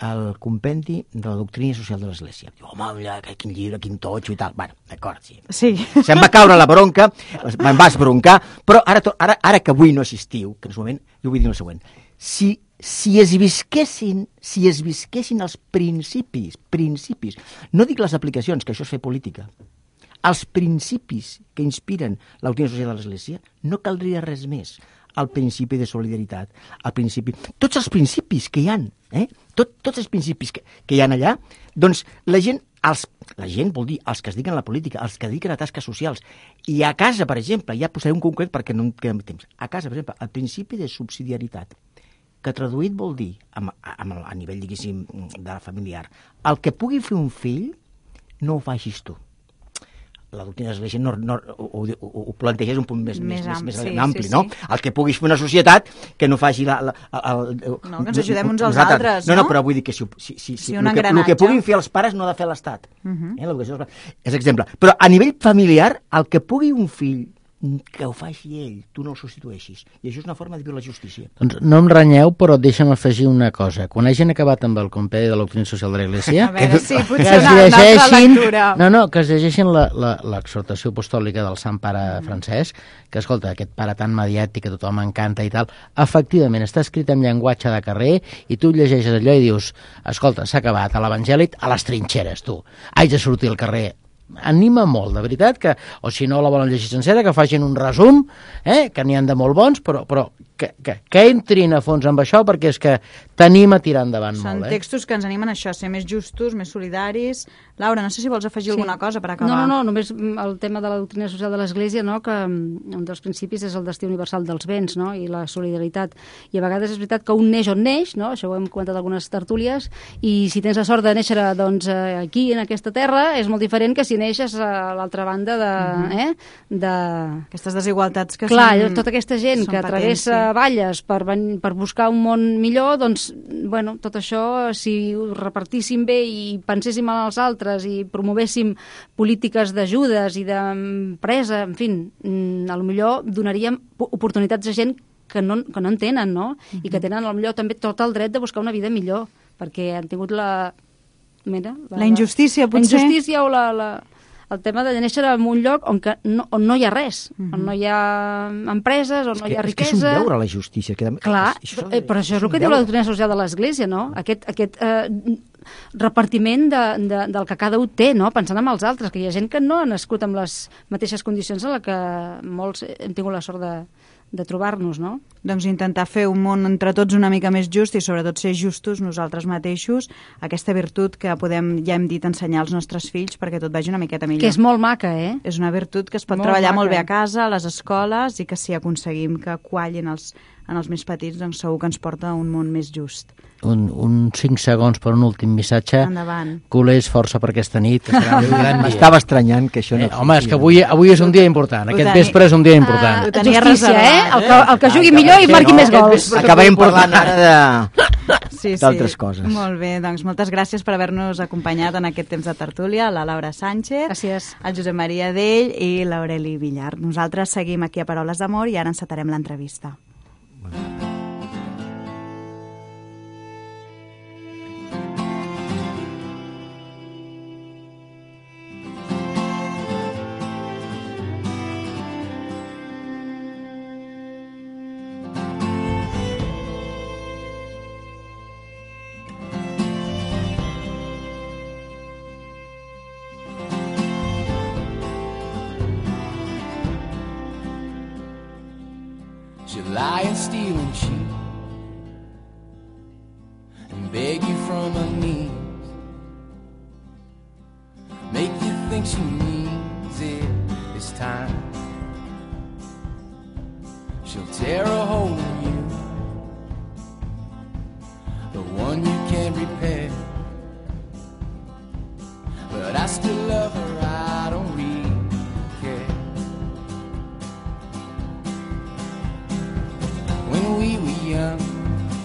S5: el compendi de la doctrina social de l'Església. Diu, home, ja, quin llibre, quin totxo i tal. Bueno, d'acord, sí.
S3: Sí.
S5: Se'm va caure la bronca, me'n va esbroncar, però ara, to- ara, ara que avui no assistiu, que en un moment, jo vull dir el següent, si, si es visquessin, si es visquessin els principis, principis, no dic les aplicacions, que això és fer política, els principis que inspiren la doctrina social de l'Església, no caldria res més. El principi de solidaritat, el principi... Tots els principis que hi ha, eh? Tot, tots els principis que, que hi ha allà, doncs la gent, els, la gent vol dir els que es dediquen a la política, els que es dediquen a tasques socials, i a casa, per exemple, ja posaré un concret perquè no em queda temps, a casa, per exemple, el principi de subsidiaritat, que traduït vol dir, amb, amb, a nivell, diguéssim, de la familiar, el que pugui fer un fill, no ho facis tu. La doctrina de l'Església no, no, ho, ho, ho planteja un punt més, més, més, més
S3: sí,
S5: ampli,
S3: sí,
S5: no?
S3: sí.
S5: El que puguis fer una societat que no faci la... la el, el,
S3: No, que ens ajudem uns als
S5: nosaltres.
S3: altres,
S5: no? No,
S3: no?
S5: però vull dir que si, si, si,
S3: Sí,
S5: si
S3: un
S5: el, que, el
S3: engranatge.
S5: que puguin fer els pares no ha de fer l'Estat.
S3: Uh -huh.
S5: eh? L'educació dels pares. És exemple. Però a nivell familiar, el que pugui un fill que ho faci ell, tu no el substitueixis. I això és una forma de viure la justícia.
S4: Doncs no em renyeu, però deixa'm afegir una cosa. Quan hagin acabat amb el compendi de la doctrina social de l'Església,
S3: A veure, sí,
S4: que
S3: potser
S4: es
S3: una, una altra
S4: llegeixin,
S3: lectura.
S4: no, no, que es llegeixin l'exhortació apostòlica del Sant Pare Francesc, que, escolta, aquest pare tan mediàtic que a tothom encanta i tal, efectivament, està escrit en llenguatge de carrer i tu llegeixes allò i dius, escolta, s'ha acabat a l'Evangeli a les trinxeres, tu. Haig de sortir al carrer. Anima molt, de veritat, que, o si no la volen llegir sencera, que facin un resum, eh, que n'hi han de molt bons, però, però que, que, que entrin a fons amb això, perquè és que t'anima a tirar endavant
S3: Són
S4: molt. Eh?
S3: textos que ens animen a això, a ser més justos, més solidaris. Laura, no sé si vols afegir
S1: Sí.
S3: alguna cosa per
S1: No,
S3: acabar.
S1: no, no, només el tema de la doctrina social de l'Església, no, que mm, un dels principis és el destí universal dels béns, no, i la solidaritat. I a vegades és veritat que un neix on neix, no, això ho hem comentat algunes tertúlies, i si tens la sort de néixer doncs, aquí, en aquesta terra, és molt diferent que si neixes a l'altra banda de...
S3: Mhm.
S1: eh, de...
S3: Aquestes desigualtats que
S1: Clar,
S3: són...
S1: tota aquesta gent
S3: són
S1: que
S3: patents,
S1: travessa
S3: sí.
S1: valles per, ven- per buscar un món millor, doncs, bueno, tot això, si ho repartíssim bé i penséssim en els altres i promovéssim polítiques d'ajudes i d'empresa, en fi, mm, a lo millor donaríem po- oportunitats a gent que no, que no en tenen, no? I que tenen, a lo millor, també tot el dret de buscar una vida millor, perquè han tingut la... Mira,
S3: La injustícia,
S1: La
S3: potser.
S1: injustícia o la... la el tema de néixer en un lloc on, que no, on no hi ha res,
S3: Mhm.
S1: on no hi ha empreses, on
S5: És
S1: no
S5: que,
S1: hi ha
S5: és que és
S1: riquesa...
S5: un deure, la justícia. Que,
S1: Clar,
S5: és- això
S1: eh, però això és el
S5: un
S1: que diu la
S5: deure.
S1: doctrina social de l'Església, no? Aquest, aquest eh, repartiment de, de, del que cada un té, no? Pensant en els altres, que hi ha gent que no ha nascut amb les mateixes condicions en les que molts hem tingut la sort de, de trobar-nos, no?
S3: Doncs intentar fer un món entre tots una mica més just i sobretot ser justos nosaltres mateixos, aquesta virtut que podem, ja hem dit, ensenyar als nostres fills perquè tot vagi una miqueta millor.
S1: Que és molt maca, eh?
S3: És una virtut que es pot
S1: Molt
S3: treballar
S1: maca.
S3: molt bé a casa, a les escoles, i que si aconseguim que quallin els, en els més petits, doncs segur que ens porta a un món més just.
S4: Un, un cinc segons per un últim missatge.
S3: Endavant.
S4: Culers, força per aquesta nit, que serà un gran dia.
S5: M'estava estranyant que això no...
S4: Eh, home, és que avui, avui és un dia important.
S3: Ho
S4: Aquest
S3: tenia-
S4: vespre és un dia important.
S1: Ah,
S3: Ho tenia
S1: justícia,
S3: reservat,
S1: eh? El que, el que jugui millor i marqui més gols.
S5: Acabem parlant ara de...
S3: Sí,
S5: d'altres
S3: sí.
S5: coses.
S3: Molt bé, doncs moltes gràcies per haver-nos acompanyat en aquest temps de tertúlia, la Laura Sánchez,
S1: Gràcies.
S3: el Josep Maria Dell i l'Aureli Villar. Nosaltres seguim aquí a Paraules d'Amor i ara encetarem l'entrevista.
S6: She'll lie and steal and cheat and beg you from her knees, make you think she means it this time. She'll tear a hole in you, the one you can't repair. But I still love her, I don't really care. When we were young,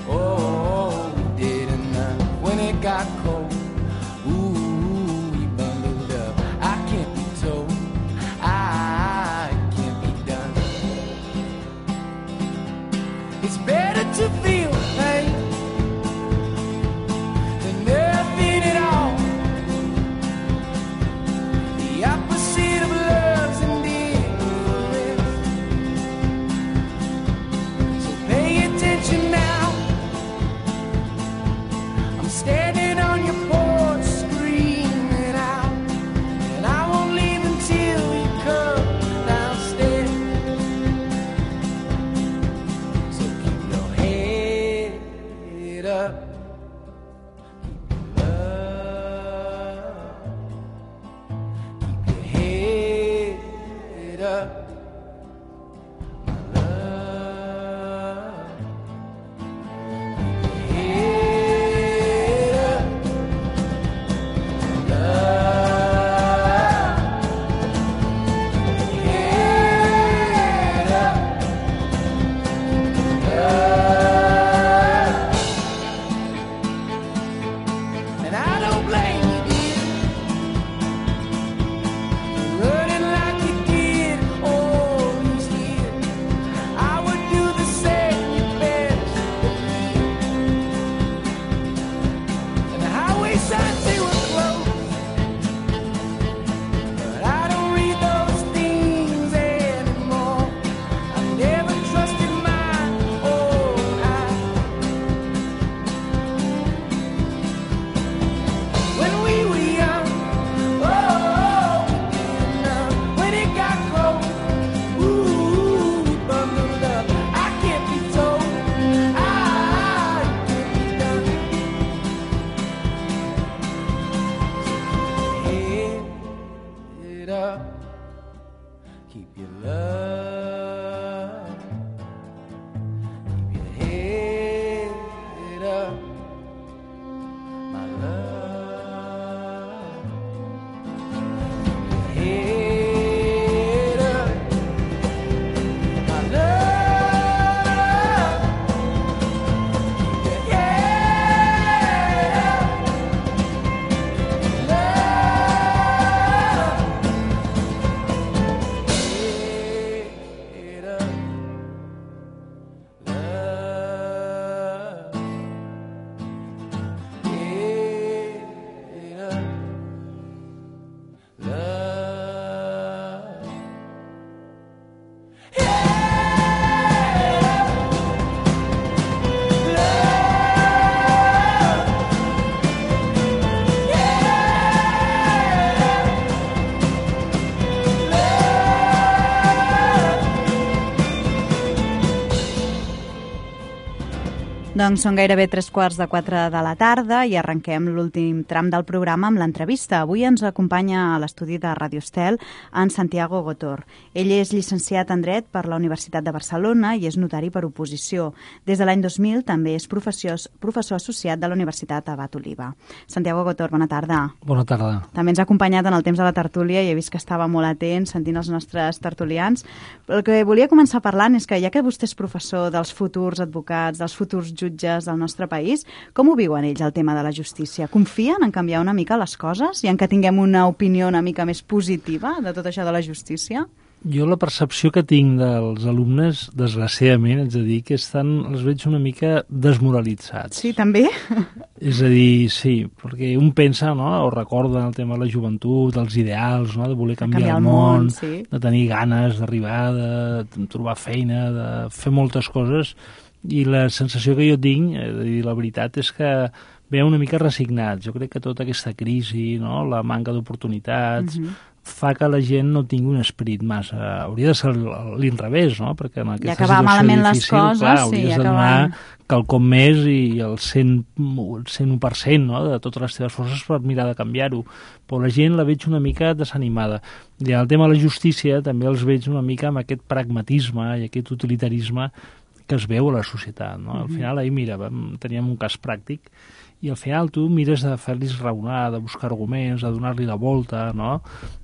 S6: oh, we did enough. When it got cold, ooh, we bundled up. I can't be told, I can't be done. It's better to feel pain than nothing at all. The opposite of love's indifference. So pay attention now. I'm standing on your porch screaming out, and I won't leave until you come downstairs. So keep your head up, keep your love, keep your head up, my love. Keep your head up, love. Head up, love. And I don't blame you, dear, for running like you did all these years. I would do the same, you best believe. And the highway signs, they were closed, but I don't read those things anymore. I never trusted my own eyes. When we were young, oh, we did enough. When it got cold, ooh, we bundled up. I can't be told, I can't be done. Head up, keep your love, keep your head up, my love. Keep your head up, my love. Keep your head up, love. Head up, love. Head up, love.
S3: Doncs són gairebé tres quarts de quatre de la tarda i arrenquem l'últim tram del programa amb l'entrevista. Avui ens acompanya a l'estudi de Radio Estel en Santiago Gotor. Ell és llicenciat en Dret per la Universitat de Barcelona i és notari per oposició. Des de l'any dos mil també és professor, professor associat de la Universitat Abat Oliba. Santiago Gotor, bona tarda.
S7: Bona tarda.
S3: També ens ha acompanyat en el temps de la tertúlia i he vist que estava molt atent sentint els nostres tertulians. El que volia començar parlant és que ja que vostè és professor dels futurs advocats, dels futurs jutges del nostre país, com ho viuen ells el tema de la justícia? Confien en canviar una mica les coses i en que tinguem una opinió una mica més positiva de tot això de la justícia?
S7: Jo la percepció que tinc dels alumnes, desgraciadament, és a dir, que estan, els veig una mica desmoralitzats.
S3: Sí, també?
S7: És a dir, sí, perquè un pensa, no?, o recorda el tema de la joventut, dels ideals, no?, de voler canviar,
S3: canviar
S7: el
S3: el
S7: món,
S3: món sí.
S7: de tenir ganes d'arribar, de trobar feina, de fer moltes coses, i la sensació que jo tinc, és a dir, la veritat és que ve una mica resignats. Jo crec que tota aquesta crisi, no?, la manca d'oportunitats, uh-huh. fa que la gent no tingui un esperit massa... Hauria de ser l'inrevés, no? Perquè en aquesta
S3: acabar
S7: situació
S3: malament les
S7: difícil,
S3: coses,
S7: clar,
S3: sí,
S7: hauries de
S3: acabar-
S7: donar quelcom més i el cent, cent u per cent, no? De totes les teves forces per mirar de canviar-ho. Però la gent la veig una mica desanimada. I en el tema de la justícia també els veig una mica amb aquest pragmatisme i aquest utilitarisme que es veu a la societat, no? Al final, ahir, mira, vam, teníem un cas pràctic i al final tu mires de fer-los raonar, de buscar arguments, de donar-li la volta, no?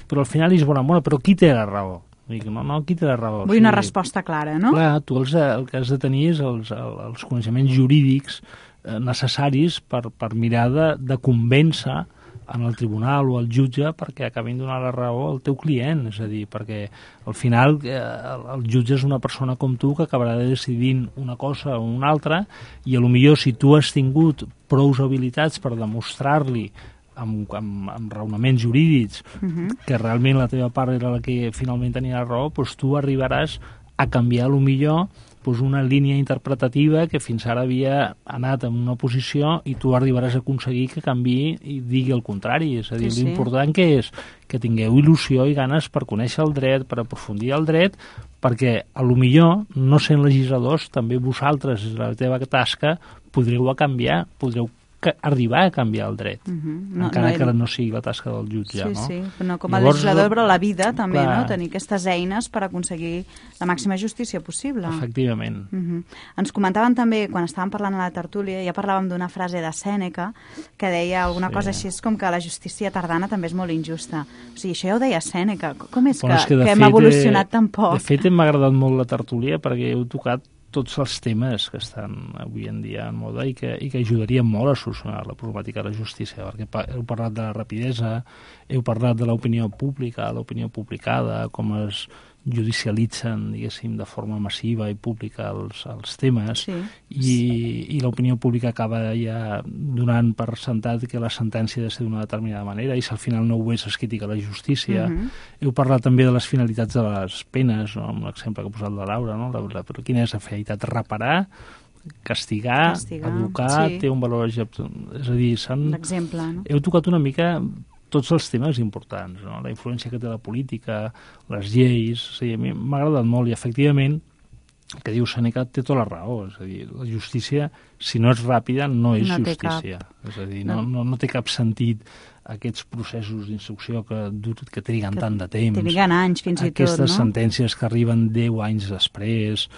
S7: Però al final és bona, bona, però qui té la raó? Dic, no, no, qui té la raó?
S3: Vull una resposta clara, no?
S7: Clar, tu els, el que has de tenir és els, els coneixements jurídics eh, necessaris per, per mirar de, de convèncer en el tribunal o el jutge perquè acabin donar la raó al teu client, és a dir, perquè al final eh, el, el jutge és una persona com tu que acabarà decidint una cosa o una altra i a lo millor si tu has tingut prous habilitats per demostrar-li amb, amb, amb raonaments jurídics uh -huh. que realment la teva part era la que finalment tenia la raó, doncs tu arribaràs a canviar a lo millor doncs una línia interpretativa que fins ara havia anat en una posició i tu arribaràs a aconseguir que canviï i digui el contrari. És a dir,
S3: Sí, sí.
S7: l'important que és que tingueu il·lusió i ganes per conèixer el dret, per aprofundir el dret, perquè a lo millor, no sent legisladors, també vosaltres, la teva tasca, podreu a canviar, podreu que arribar a canviar el dret,
S3: Uh -huh. no,
S7: encara
S3: no,
S7: que no sigui la tasca del jutge,
S3: sí,
S7: no?
S3: sí, però no com a
S7: Llavors,
S3: legislador, però la vida també,
S7: clar.
S3: no? Tenir aquestes eines per aconseguir la màxima justícia possible.
S7: Efectivament.
S3: Uh -huh. Ens comentaven també, quan estàvem parlant a la tertúlia, ja parlàvem d'una frase de Sèneca que deia alguna
S7: Sí.
S3: cosa així com que la justícia tardana també és molt injusta. O sigui, això ja ho deia Sèneca. Com és
S7: Bueno,
S3: que,
S7: és que, de
S3: que hem
S7: fet,
S3: evolucionat
S7: eh,
S3: tan poc?
S7: De fet, m'ha agradat molt la tertúlia perquè heu tocat tots els temes que estan avui en dia en moda i que, i que ajudarien molt a solucionar la problemàtica de la justícia, perquè pa, heu parlat de la rapidesa, heu parlat de l'opinió pública, l'opinió publicada, com es judicialitzen, diguéssim, de forma massiva i pública els, els temes,
S3: Sí.
S7: i, i l'opinió pública acaba ja donant per sentat que la sentència ha de ser d'una determinada manera, i si al final no ho és, es critica la justícia.
S3: Uh -huh.
S7: Heu parlat també de les finalitats de les penes, no? Amb l'exemple que ha posat la Laura, no? La, la, però quina és la finalitat? Reparar, castigar,
S3: Castigar,
S7: educar,
S3: sí.
S7: té un valor... És a dir, s'han...
S3: L'exemple, no?
S7: Heu tocat una mica tots els temes importants, no? La influència que té la política, les lleis... O sigui, a mi m'ha agradat molt i, efectivament, el que diu Sèneca té tota la raó. És a dir, la justícia, si no és ràpida, no és
S3: No té
S7: justícia. És a dir, no, no, no té cap sentit aquests processos d'instrucció que, dur- que triguen
S3: Que
S7: tant de temps.
S3: triguen anys, fins i tot,
S7: Aquestes
S3: no?
S7: sentències que arriben deu anys després.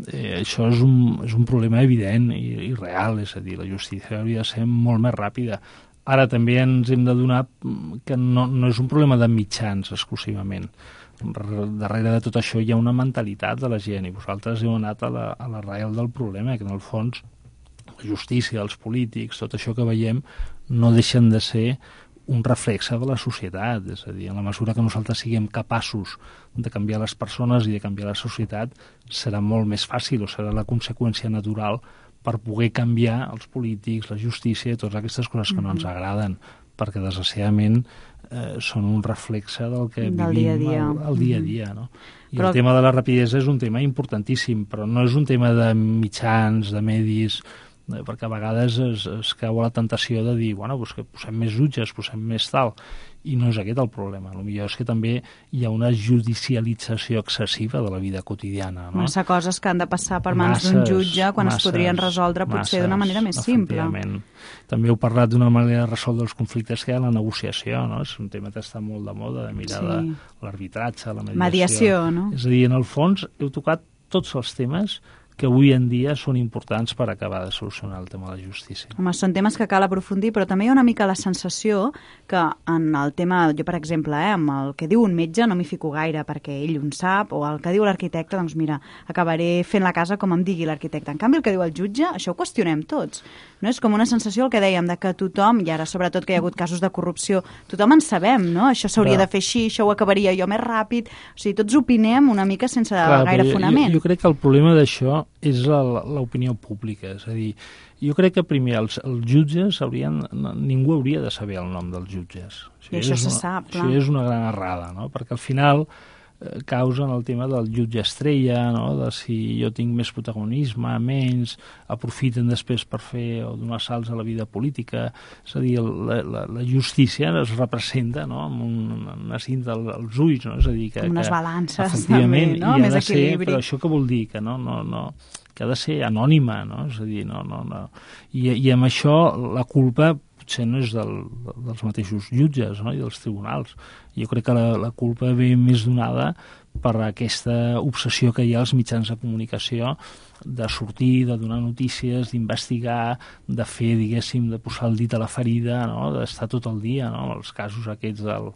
S7: Eh, això és un, és un problema evident i, i real. És a dir, la justícia hauria de ser molt més ràpida. Ara també ens hem de donar que no, no és un problema de mitjans exclusivament. Darrere de tot això hi ha una mentalitat de la gent i vosaltres heu anat a la, a l'arrel del problema, que en el fons la justícia, els polítics, tot això que veiem no deixen de ser un reflexe de la societat. És a dir, en la mesura que nosaltres siguem capaços de canviar les persones i de canviar la societat, serà molt més fàcil o serà la conseqüència natural per poder canviar els polítics, la justícia i totes aquestes coses que no ens agraden, perquè desgraciadament eh, són un reflexe del que
S3: Del
S7: vivim
S3: dia a dia.
S7: al, al dia a dia. No? I
S3: Però-
S7: el tema de la rapidesa és un tema importantíssim, però no és un tema de mitjans, de medis, eh, perquè a vegades es, es cau a la tentació de dir, bueno, doncs que posem més jutges, posem més tal, i no és aquest el problema. El millor és que també hi ha una judicialització excessiva de la vida quotidiana. No?
S3: Massa coses que han de passar per mans d'un
S7: Masses,
S3: jutge quan es
S7: masses,
S3: podrien resoldre potser d'una
S7: masses,
S3: manera més simple.
S7: efectivament. També heu parlat d'una manera de resoldre els conflictes que hi ha la negociació, no? És un tema que està molt de moda, de mirar
S3: Sí.
S7: de l'arbitratge, la mediació.
S3: Mediació, no?
S7: És a dir, en el fons heu tocat tots els temes que avui en dia són importants per acabar de solucionar el tema de la justícia.
S3: Home, són temes que cal aprofundir, però també hi ha una mica la sensació que en el tema, jo per exemple, eh, amb el que diu un metge no m'hi fico gaire perquè ell ho en sap, o el que diu l'arquitecte, doncs mira, acabaré fent la casa com em digui l'arquitecte. En canvi, el que diu el jutge, això ho qüestionem tots. No? És com una sensació, el que dèiem, de que tothom, i ara sobretot que hi ha hagut casos de corrupció, tothom en sabem, no? Això s'hauria
S7: Clar.
S3: de fer així, això ho acabaria jo més ràpid. O sigui, tots opinem una mica sense
S7: Clar,
S3: gaire
S7: però jo-
S3: fonament.
S7: Jo, jo crec que el problema d'això és la- l'opinió pública. És a dir, jo crec que primer els, els jutges haurien... no- ningú hauria de saber el nom dels jutges.
S3: I això
S7: és
S3: se
S7: una,
S3: sap,
S7: Això
S3: clar.
S7: és una gran errada, no? Perquè al final eh, causen el tema del jutge estrella, no? De si jo tinc més protagonisme, menys, aprofiten després per fer o donar salts a la vida política. És a dir, la, la, la justícia es representa, no? Amb un, una cinta als ulls, no? És a dir, que,
S3: unes
S7: que
S3: balances
S7: efectivament,
S3: també, no?
S7: I ha
S3: Més
S7: de ser,
S3: equilibri.
S7: però això què vol dir? Que no, no, no, que ha de ser anònima, no? És a dir, no, no, no. I, i amb això la culpa potser no és del, dels mateixos jutges, no? I dels tribunals. Jo crec que la, la culpa ve més donada per aquesta obsessió que hi ha als mitjans de comunicació de sortir, de donar notícies, d'investigar, de fer, diguéssim, de posar el dit a la ferida, no? D'estar tot el dia, no? Els casos aquests del,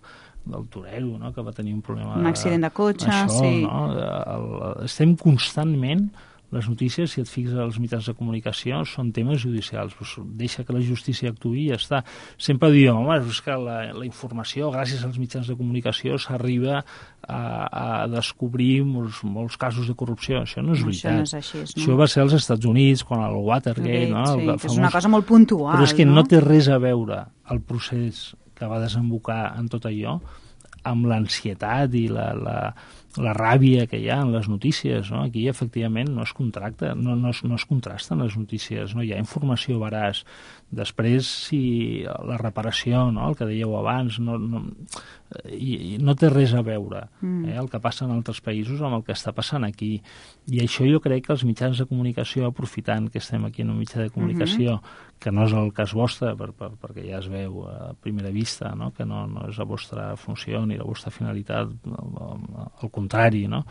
S7: del torero, no? Que va tenir un problema...
S3: Un accident de cotxe,
S7: això,
S3: sí.
S7: No? El, estem constantment... Les notícies, si et fixes als mitjans de comunicació, són temes judicials. Pues deixa que la justícia actuï i ja està. Sempre diem, home, és que la, la informació, gràcies als mitjans de comunicació, s'arriba a, a descobrir molts, molts casos de corrupció. Això no és veritat.
S3: Això no és així, no?
S7: Això va ser als Estats Units, quan el Watergate... No?
S3: Sí,
S7: El
S3: que
S7: famós...
S3: és una cosa molt puntual,
S7: Però és que no?
S3: no
S7: té res a veure el procés que va desembocar en tot allò amb l'ansietat i la... la la ràbia que hi ha en les notícies, no? Aquí efectivament no es contracta, no, no, es, no es contrasten les notícies, no hi ha informació veraç. Després, si la reparació, no? El que dèieu abans, no, no, i, i no té res a veure mm. eh? El que passa en altres països amb el que està passant aquí. I això jo crec que els mitjans de comunicació, aprofitant que estem aquí en un mitjà de comunicació, mm-hmm. que no és el cas vostre, per, per, perquè ja es veu a primera vista, no? Que no, no és la vostra funció ni la vostra finalitat, al contrari, no?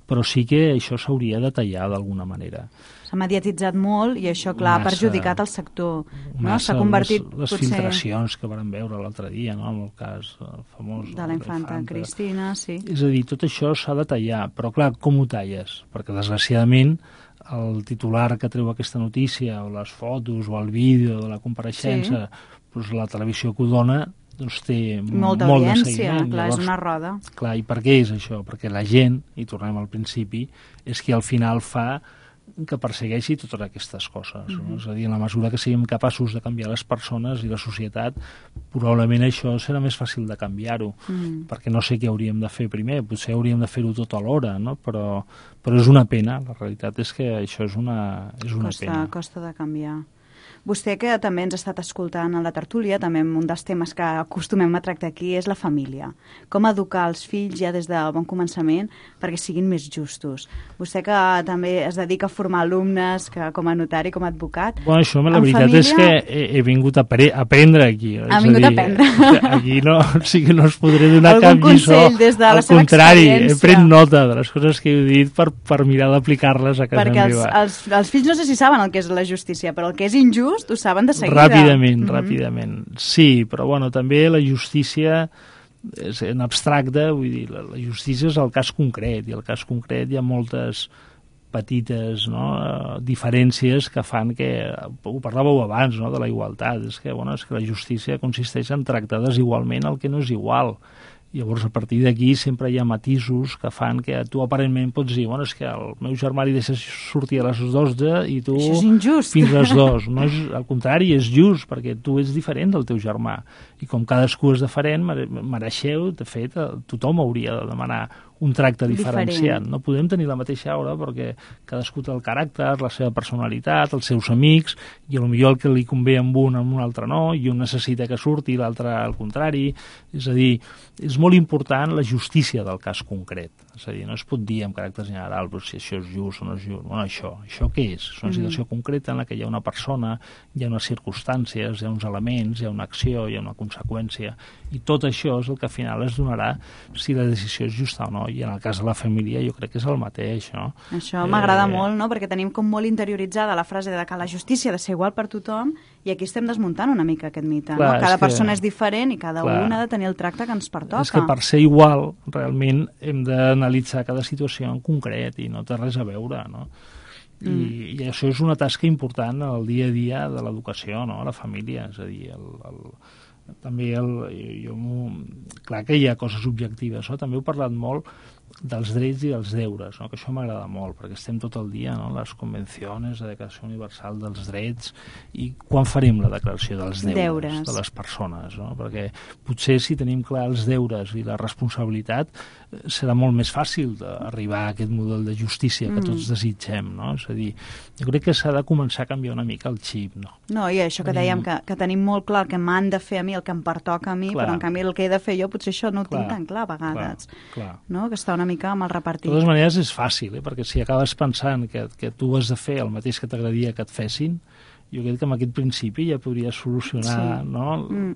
S7: Però sí que això s'hauria de tallar d'alguna manera.
S3: S'ha mediatitzat molt i això, clar, ha perjudicat el sector. No? S'ha convertit...
S7: Les, les
S3: potser...
S7: filtracions que vam veure l'altre dia, no? Amb el cas famós...
S3: De la infanta Cristina, sí.
S7: És a dir, tot això s'ha de tallar, però clar, com ho talles? Perquè desgraciadament el titular que treu aquesta notícia, o les fotos, o el vídeo de la compareixença, sí. Doncs la televisió que ho dona, doncs té
S3: molta
S7: molt
S3: audiència,
S7: de seguiment.
S3: clar,
S7: Llavors,
S3: és una roda.
S7: Clar, i per què és això? Perquè la gent, i tornem al principi, és que al final fa que persegueixi totes aquestes coses. No? Mm-hmm. És a dir, en la mesura que siguem capaços de canviar les persones i la societat, probablement això serà més fàcil de canviar-ho, mm. perquè no sé què hauríem de fer primer, potser hauríem de fer-ho tot alhora, no? però, però és una pena, la realitat és que això és una, és una
S3: costa,
S7: pena.
S3: Costa de canviar. Vostè, que també ens ha estat escoltant a la tertúlia, també un dels temes que acostumem a tractar aquí és la família. Com educar els fills ja des del bon començament perquè siguin més justos. Vostè que també es dedica a formar alumnes, que com a notari, com a advocat...
S7: Bueno, això la veritat
S3: família...
S7: és que he, he vingut a, pre a aprendre aquí.
S3: Ha vingut a, dir, a aprendre.
S7: Aquí no, o sigui, no us podré donar
S3: algun
S7: cap lliçó.
S3: Des de la
S7: Al contrari, he pres nota de les coses que he dit per, per mirar d'aplicar-les a casa
S3: perquè
S7: meva.
S3: Perquè els, els, els fills no sé si saben el que és la justícia, però el que és injust ho saben de seguida.
S7: Ràpidament,
S3: mm-hmm.
S7: ràpidament. Sí, però bueno, també la justícia és en abstracte, vull dir, la, la justícia és el cas concret, i el cas concret hi ha moltes petites, no, diferències que fan que, ho parlàveu abans, no, de la igualtat, és que, bueno, és que la justícia consisteix en tractar desigualment el que no és igual. Llavors, a partir d'aquí sempre hi ha matisos que fan que tu aparentment pots dir, bueno, és que el meu germà li deixes sortir a les dotze i tu fins a les dos. No és, al contrari, és just, perquè tu ets diferent del teu germà. I com cadascú és diferent, mereixeu, de fet, tothom hauria de demanar un tracte diferenciat. Diferent. No podem tenir la mateixa aura perquè cadascú té el caràcter, la seva personalitat, els seus amics, i potser el que li convé amb un, amb un altre no, i un necessita que surti, l'altre al contrari. És a dir, és molt important la justícia del cas concret. És a dir, no es pot dir amb caràcter general però si això és just o no és just. Bueno, això, això què és? És una situació mm. concreta en la que hi ha una persona, hi ha unes circumstàncies, hi ha uns elements, hi ha una acció, hi ha una conseqüència, i tot això és el que al final es donarà si la decisió és justa o no. I en el cas de la família jo crec que és el mateix, no?
S3: Això m'agrada eh... molt, no? Perquè tenim com molt interioritzada la frase de que la justícia ha de ser igual per tothom, i aquí estem desmuntant una mica aquest mite, clar, no? Cada és persona que... és diferent i cada clar, un ha de tenir el tracte que ens pertoca.
S7: És que per ser igual, realment hem d'analitzar cada situació en concret i no té res a veure, no? I, mm. i això és una tasca important al dia a dia de l'educació, no? A la família, és a dir, el, el, també el, jo, jo clar que hi ha coses objectives, no? També heu parlat molt dels drets i dels deures, no? Que això m'agrada molt, perquè estem tot el dia, no? Les convencions, la Declaració Universal dels Drets, i quan farem la declaració dels deures,
S3: Deures.
S7: de les persones, no? Perquè potser si tenim clar els deures i la responsabilitat eh, serà molt més fàcil d'arribar a aquest model de justícia que
S3: Mm.
S7: tots desitgem, no? És a dir, jo crec que s'ha de començar a canviar una mica el xip, no?
S3: No, i això que dèiem, que, que tenim molt clar el que m'han de fer a mi, el que em pertoca a mi,
S7: Clar.
S3: però en canvi el que he de fer jo potser això no ho
S7: Clar,
S3: tinc tan clar a vegades.
S7: Clar, clar.
S3: No? Que està una mica mal repartit.
S7: De totes maneres és fàcil, eh? Perquè si acabes pensant que, que tu has de fer el mateix que t'agradaria que et fessin, jo crec que amb aquest principi ja podries solucionar
S3: Sí.
S7: no?
S3: Mm.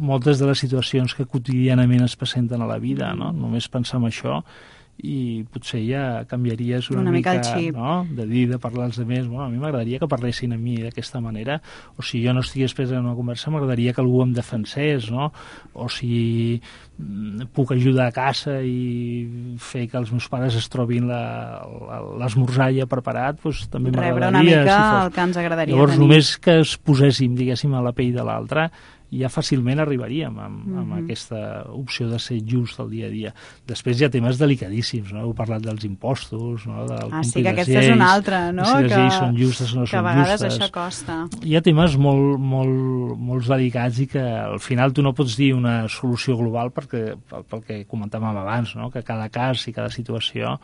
S7: moltes de les situacions que quotidianament es presenten a la vida, no? Només pensar en això i potser ja canviaries una,
S3: Una mica el
S7: mica,
S3: xip.
S7: no? De dir, de parlar als altres. Bueno, a mi m'agradaria que parlessin a mi d'aquesta manera, o si jo no estigués present en una conversa, m'agradaria que algú em defensés, no? O si mm, puc ajudar a casa i fer que els meus pares es trobin la- la- l'esmorzar ja preparat, doncs també
S3: Rebre una
S7: m'agradaria.
S3: mica
S7: si fos.
S3: el que ens agradaria
S7: Llavors,
S3: tenir.
S7: només que es poséssim, diguéssim, a la pell de l'altre, ja fàcilment arribaríem amb, amb
S3: Mhm.
S7: aquesta opció de ser just al dia a dia. Després hi ha temes delicadíssims, no? Heu parlat dels impostos, no? Del
S3: Ah, sí,
S7: complir
S3: que
S7: les
S3: aquesta és
S7: lleis,
S3: una altra, no?
S7: si les
S3: Que-
S7: lleis són justes o no
S3: que a
S7: són
S3: vegades
S7: justes.
S3: això costa.
S7: Hi ha temes molt, molt, molts delicats i que al final tu no pots dir una solució global perquè, pel, pel que comentàvem abans, no? Que cada cas i cada situació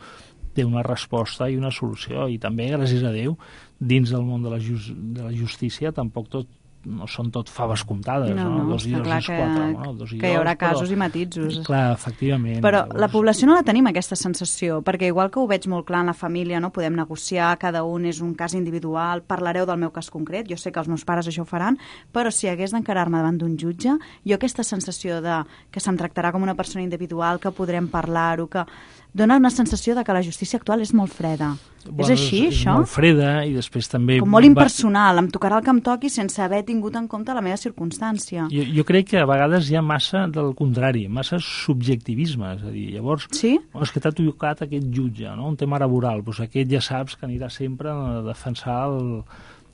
S7: té una resposta i una solució, i també, gràcies a Déu, dins del món de la, just, de la justícia tampoc tot no són tot faves comptades,
S3: No,
S7: no?
S3: no,
S7: Dos i
S3: està
S7: dos
S3: clar
S7: és
S3: que-
S7: quatre, no? Dos i
S3: que hi haurà
S7: dos, però-
S3: casos i matisos.
S7: Clar, efectivament.
S3: Però
S7: llavors-
S3: la població no la tenim, aquesta sensació, perquè igual que ho veig molt clar en la família, no podem negociar, cada un és un cas individual, parlareu del meu cas concret, jo sé que els meus pares això ho faran, però si hagués d'encarar-me davant d'un jutge, jo aquesta sensació de que se'm tractarà com una persona individual, que podrem parlar-ho, que dona una sensació de que la justícia actual és molt freda.
S7: Bueno,
S3: és així,
S7: és,
S3: això?
S7: És molt freda i després també...
S3: Com molt
S7: va-
S3: impersonal, em tocarà el que em toqui sense haver tingut en compte la meva circumstància.
S7: Jo, jo crec que a vegades hi ha massa del contrari, massa subjectivisme, és a dir, llavors,
S3: Sí?
S7: oh, és que t'ha tocat aquest jutge, no? Un tema laboral, doncs aquest ja saps que anirà sempre a defensar el,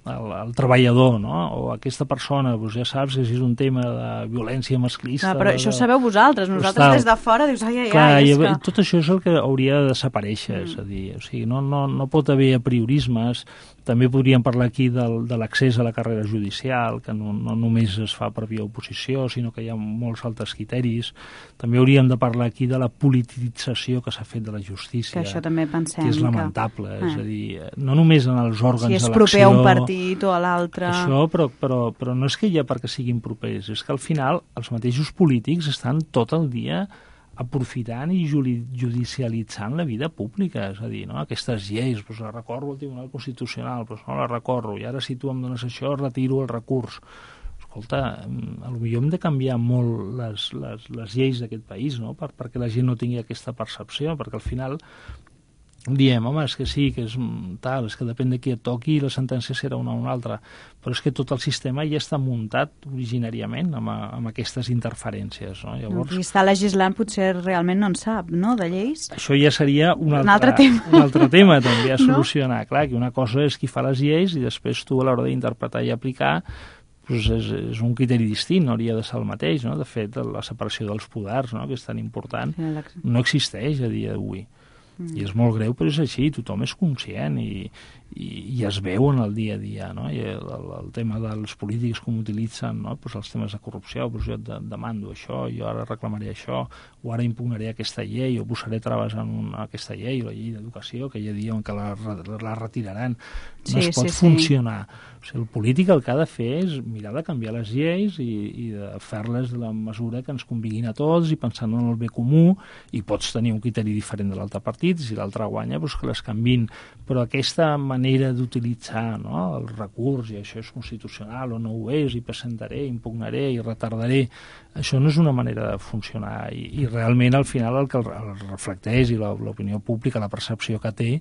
S7: el, el treballador, no? O aquesta persona, doncs ja saps que si és un tema de violència masclista...
S3: Clar, però
S7: de,
S3: això ho sabeu vosaltres,
S7: Doncs
S3: nosaltres
S7: tal.
S3: des de fora dius, ai, ai,
S7: Clar,
S3: ai,
S7: i,
S3: és que...
S7: tot això és el que hauria de desaparèixer, és a dir, o sigui, no, no, no pot haver apriorismes. També podríem parlar aquí del, de l'accés a la carrera judicial, que no, no només es fa per via oposició, sinó que hi ha molts altres criteris. També hauríem de parlar aquí de la politització que s'ha fet de la justícia,
S3: Que això també pensem
S7: que és
S3: que-
S7: lamentable.
S3: Eh.
S7: És a dir, no només en els òrgans
S3: Si és
S7: d'elecció...
S3: proper a un partit o a l'altre...
S7: Això, però, però, però no és que ja perquè siguin propers, és que al final els mateixos polítics estan tot el dia aprofitant i juli- judicialitzant la vida pública, és a dir, no? Aquestes lleis, doncs la recorro al Tribunal Constitucional, doncs no la recorro, i ara si tu em dones això retiro el recurs. Escolta, mm, a lo millor hem de canviar molt les, les, les lleis d'aquest país, no? Per, perquè la gent no tingui aquesta percepció, perquè al final diem, home, és que sí, que és mm, tal, és que depèn de qui et toqui i la sentència serà una o una altra, però és que tot el sistema ja està muntat originàriament amb, a- amb aquestes interferències, no? Llavors,
S3: Qui està legislant potser realment no en sap, no?, de lleis.
S7: això ja seria un altre,
S3: Un altre tema.
S7: un altre tema també a
S3: No?
S7: solucionar. Clar, que una cosa és qui fa les lleis i després tu a l'hora d'interpretar i aplicar doncs és, és un criteri distint, no hauria de ser el mateix, no? De fet, la separació dels poders, no?, que és tan important, no existeix a dia d'avui. Mm. I és molt greu, però és així, tothom és conscient i, i, i es veu en el dia a dia, no? I el, el, el tema dels polítics com utilitzen, no? Pues els temes de corrupció, pues jo et de, demando això, jo ara reclamaré això, o ara impugnaré aquesta llei, o posaré traves en una, aquesta llei, la llei d'educació, que ja diuen que la, la retiraran. No
S3: Sí,
S7: es pot
S3: sí, sí.
S7: funcionar. O sigui, el polític el que ha de fer és mirar de canviar les lleis i, i de fer-les de la mesura que ens conviguin a tots i pensant en el bé comú, i pots tenir un criteri diferent de l'altre partit, si l'altre guanya, doncs que les canvin. Però aquesta manera d'utilitzar, no?, el recurs, i això és constitucional o no ho és, i presentaré, impugnaré i retardaré, això no és una manera de funcionar, i, i realment al final el que el, el reflecteix i la- l'opinió pública, la percepció que té,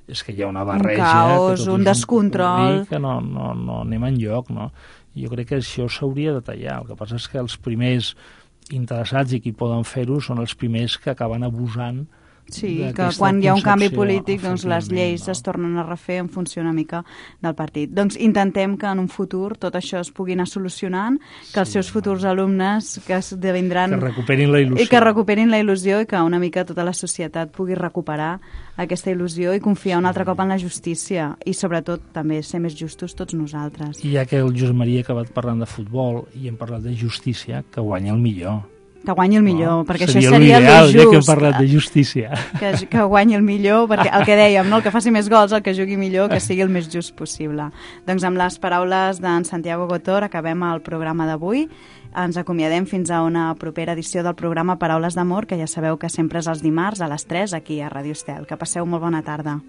S7: és que hi ha una barreja,
S3: caos,
S7: que tot
S3: un
S7: és
S3: descontrol.
S7: popurrí, que no, no, no anem enlloc, no? Jo crec que això s'hauria de tallar. El que passa és que els primers interessats i qui poden fer-ho són els primers que acaben abusant
S3: Sí, que
S7: d'aquesta
S3: quan hi ha un canvi
S7: concepció,
S3: polític, doncs les
S7: efectivament,
S3: lleis
S7: val.
S3: es tornen a refer en funció una mica del partit. Doncs intentem que en un futur tot això es pugui anar solucionant, que els
S7: Sí,
S3: seus futurs alumnes que esdevindran...
S7: Que recuperin la il·lusió.
S3: I que recuperin la il·lusió i que una mica tota la societat pugui recuperar aquesta il·lusió i confiar un altre cop en la justícia i sobretot també ser més justos tots nosaltres.
S7: I ja que el Josep Maria ha acabat parlant de futbol i hem parlat de justícia, que guanya el millor.
S3: Que guanyi el millor,
S7: No?
S3: perquè
S7: Seria
S3: això seria
S7: l'ideal,
S3: el
S7: ja que hem
S3: just.
S7: parlat de justícia.
S3: Que, que guanyi el millor, perquè el que dèiem, no? El que faci més gols, el que jugui millor, que sigui el més just possible. Doncs amb les paraules d'en Santiago Gotor acabem el programa d'avui. Ens acomiadem fins a una propera edició del programa Paraules d'Amor, que ja sabeu que sempre és els dimarts a les tres aquí a Ràdio Estel. Que passeu molt bona tarda.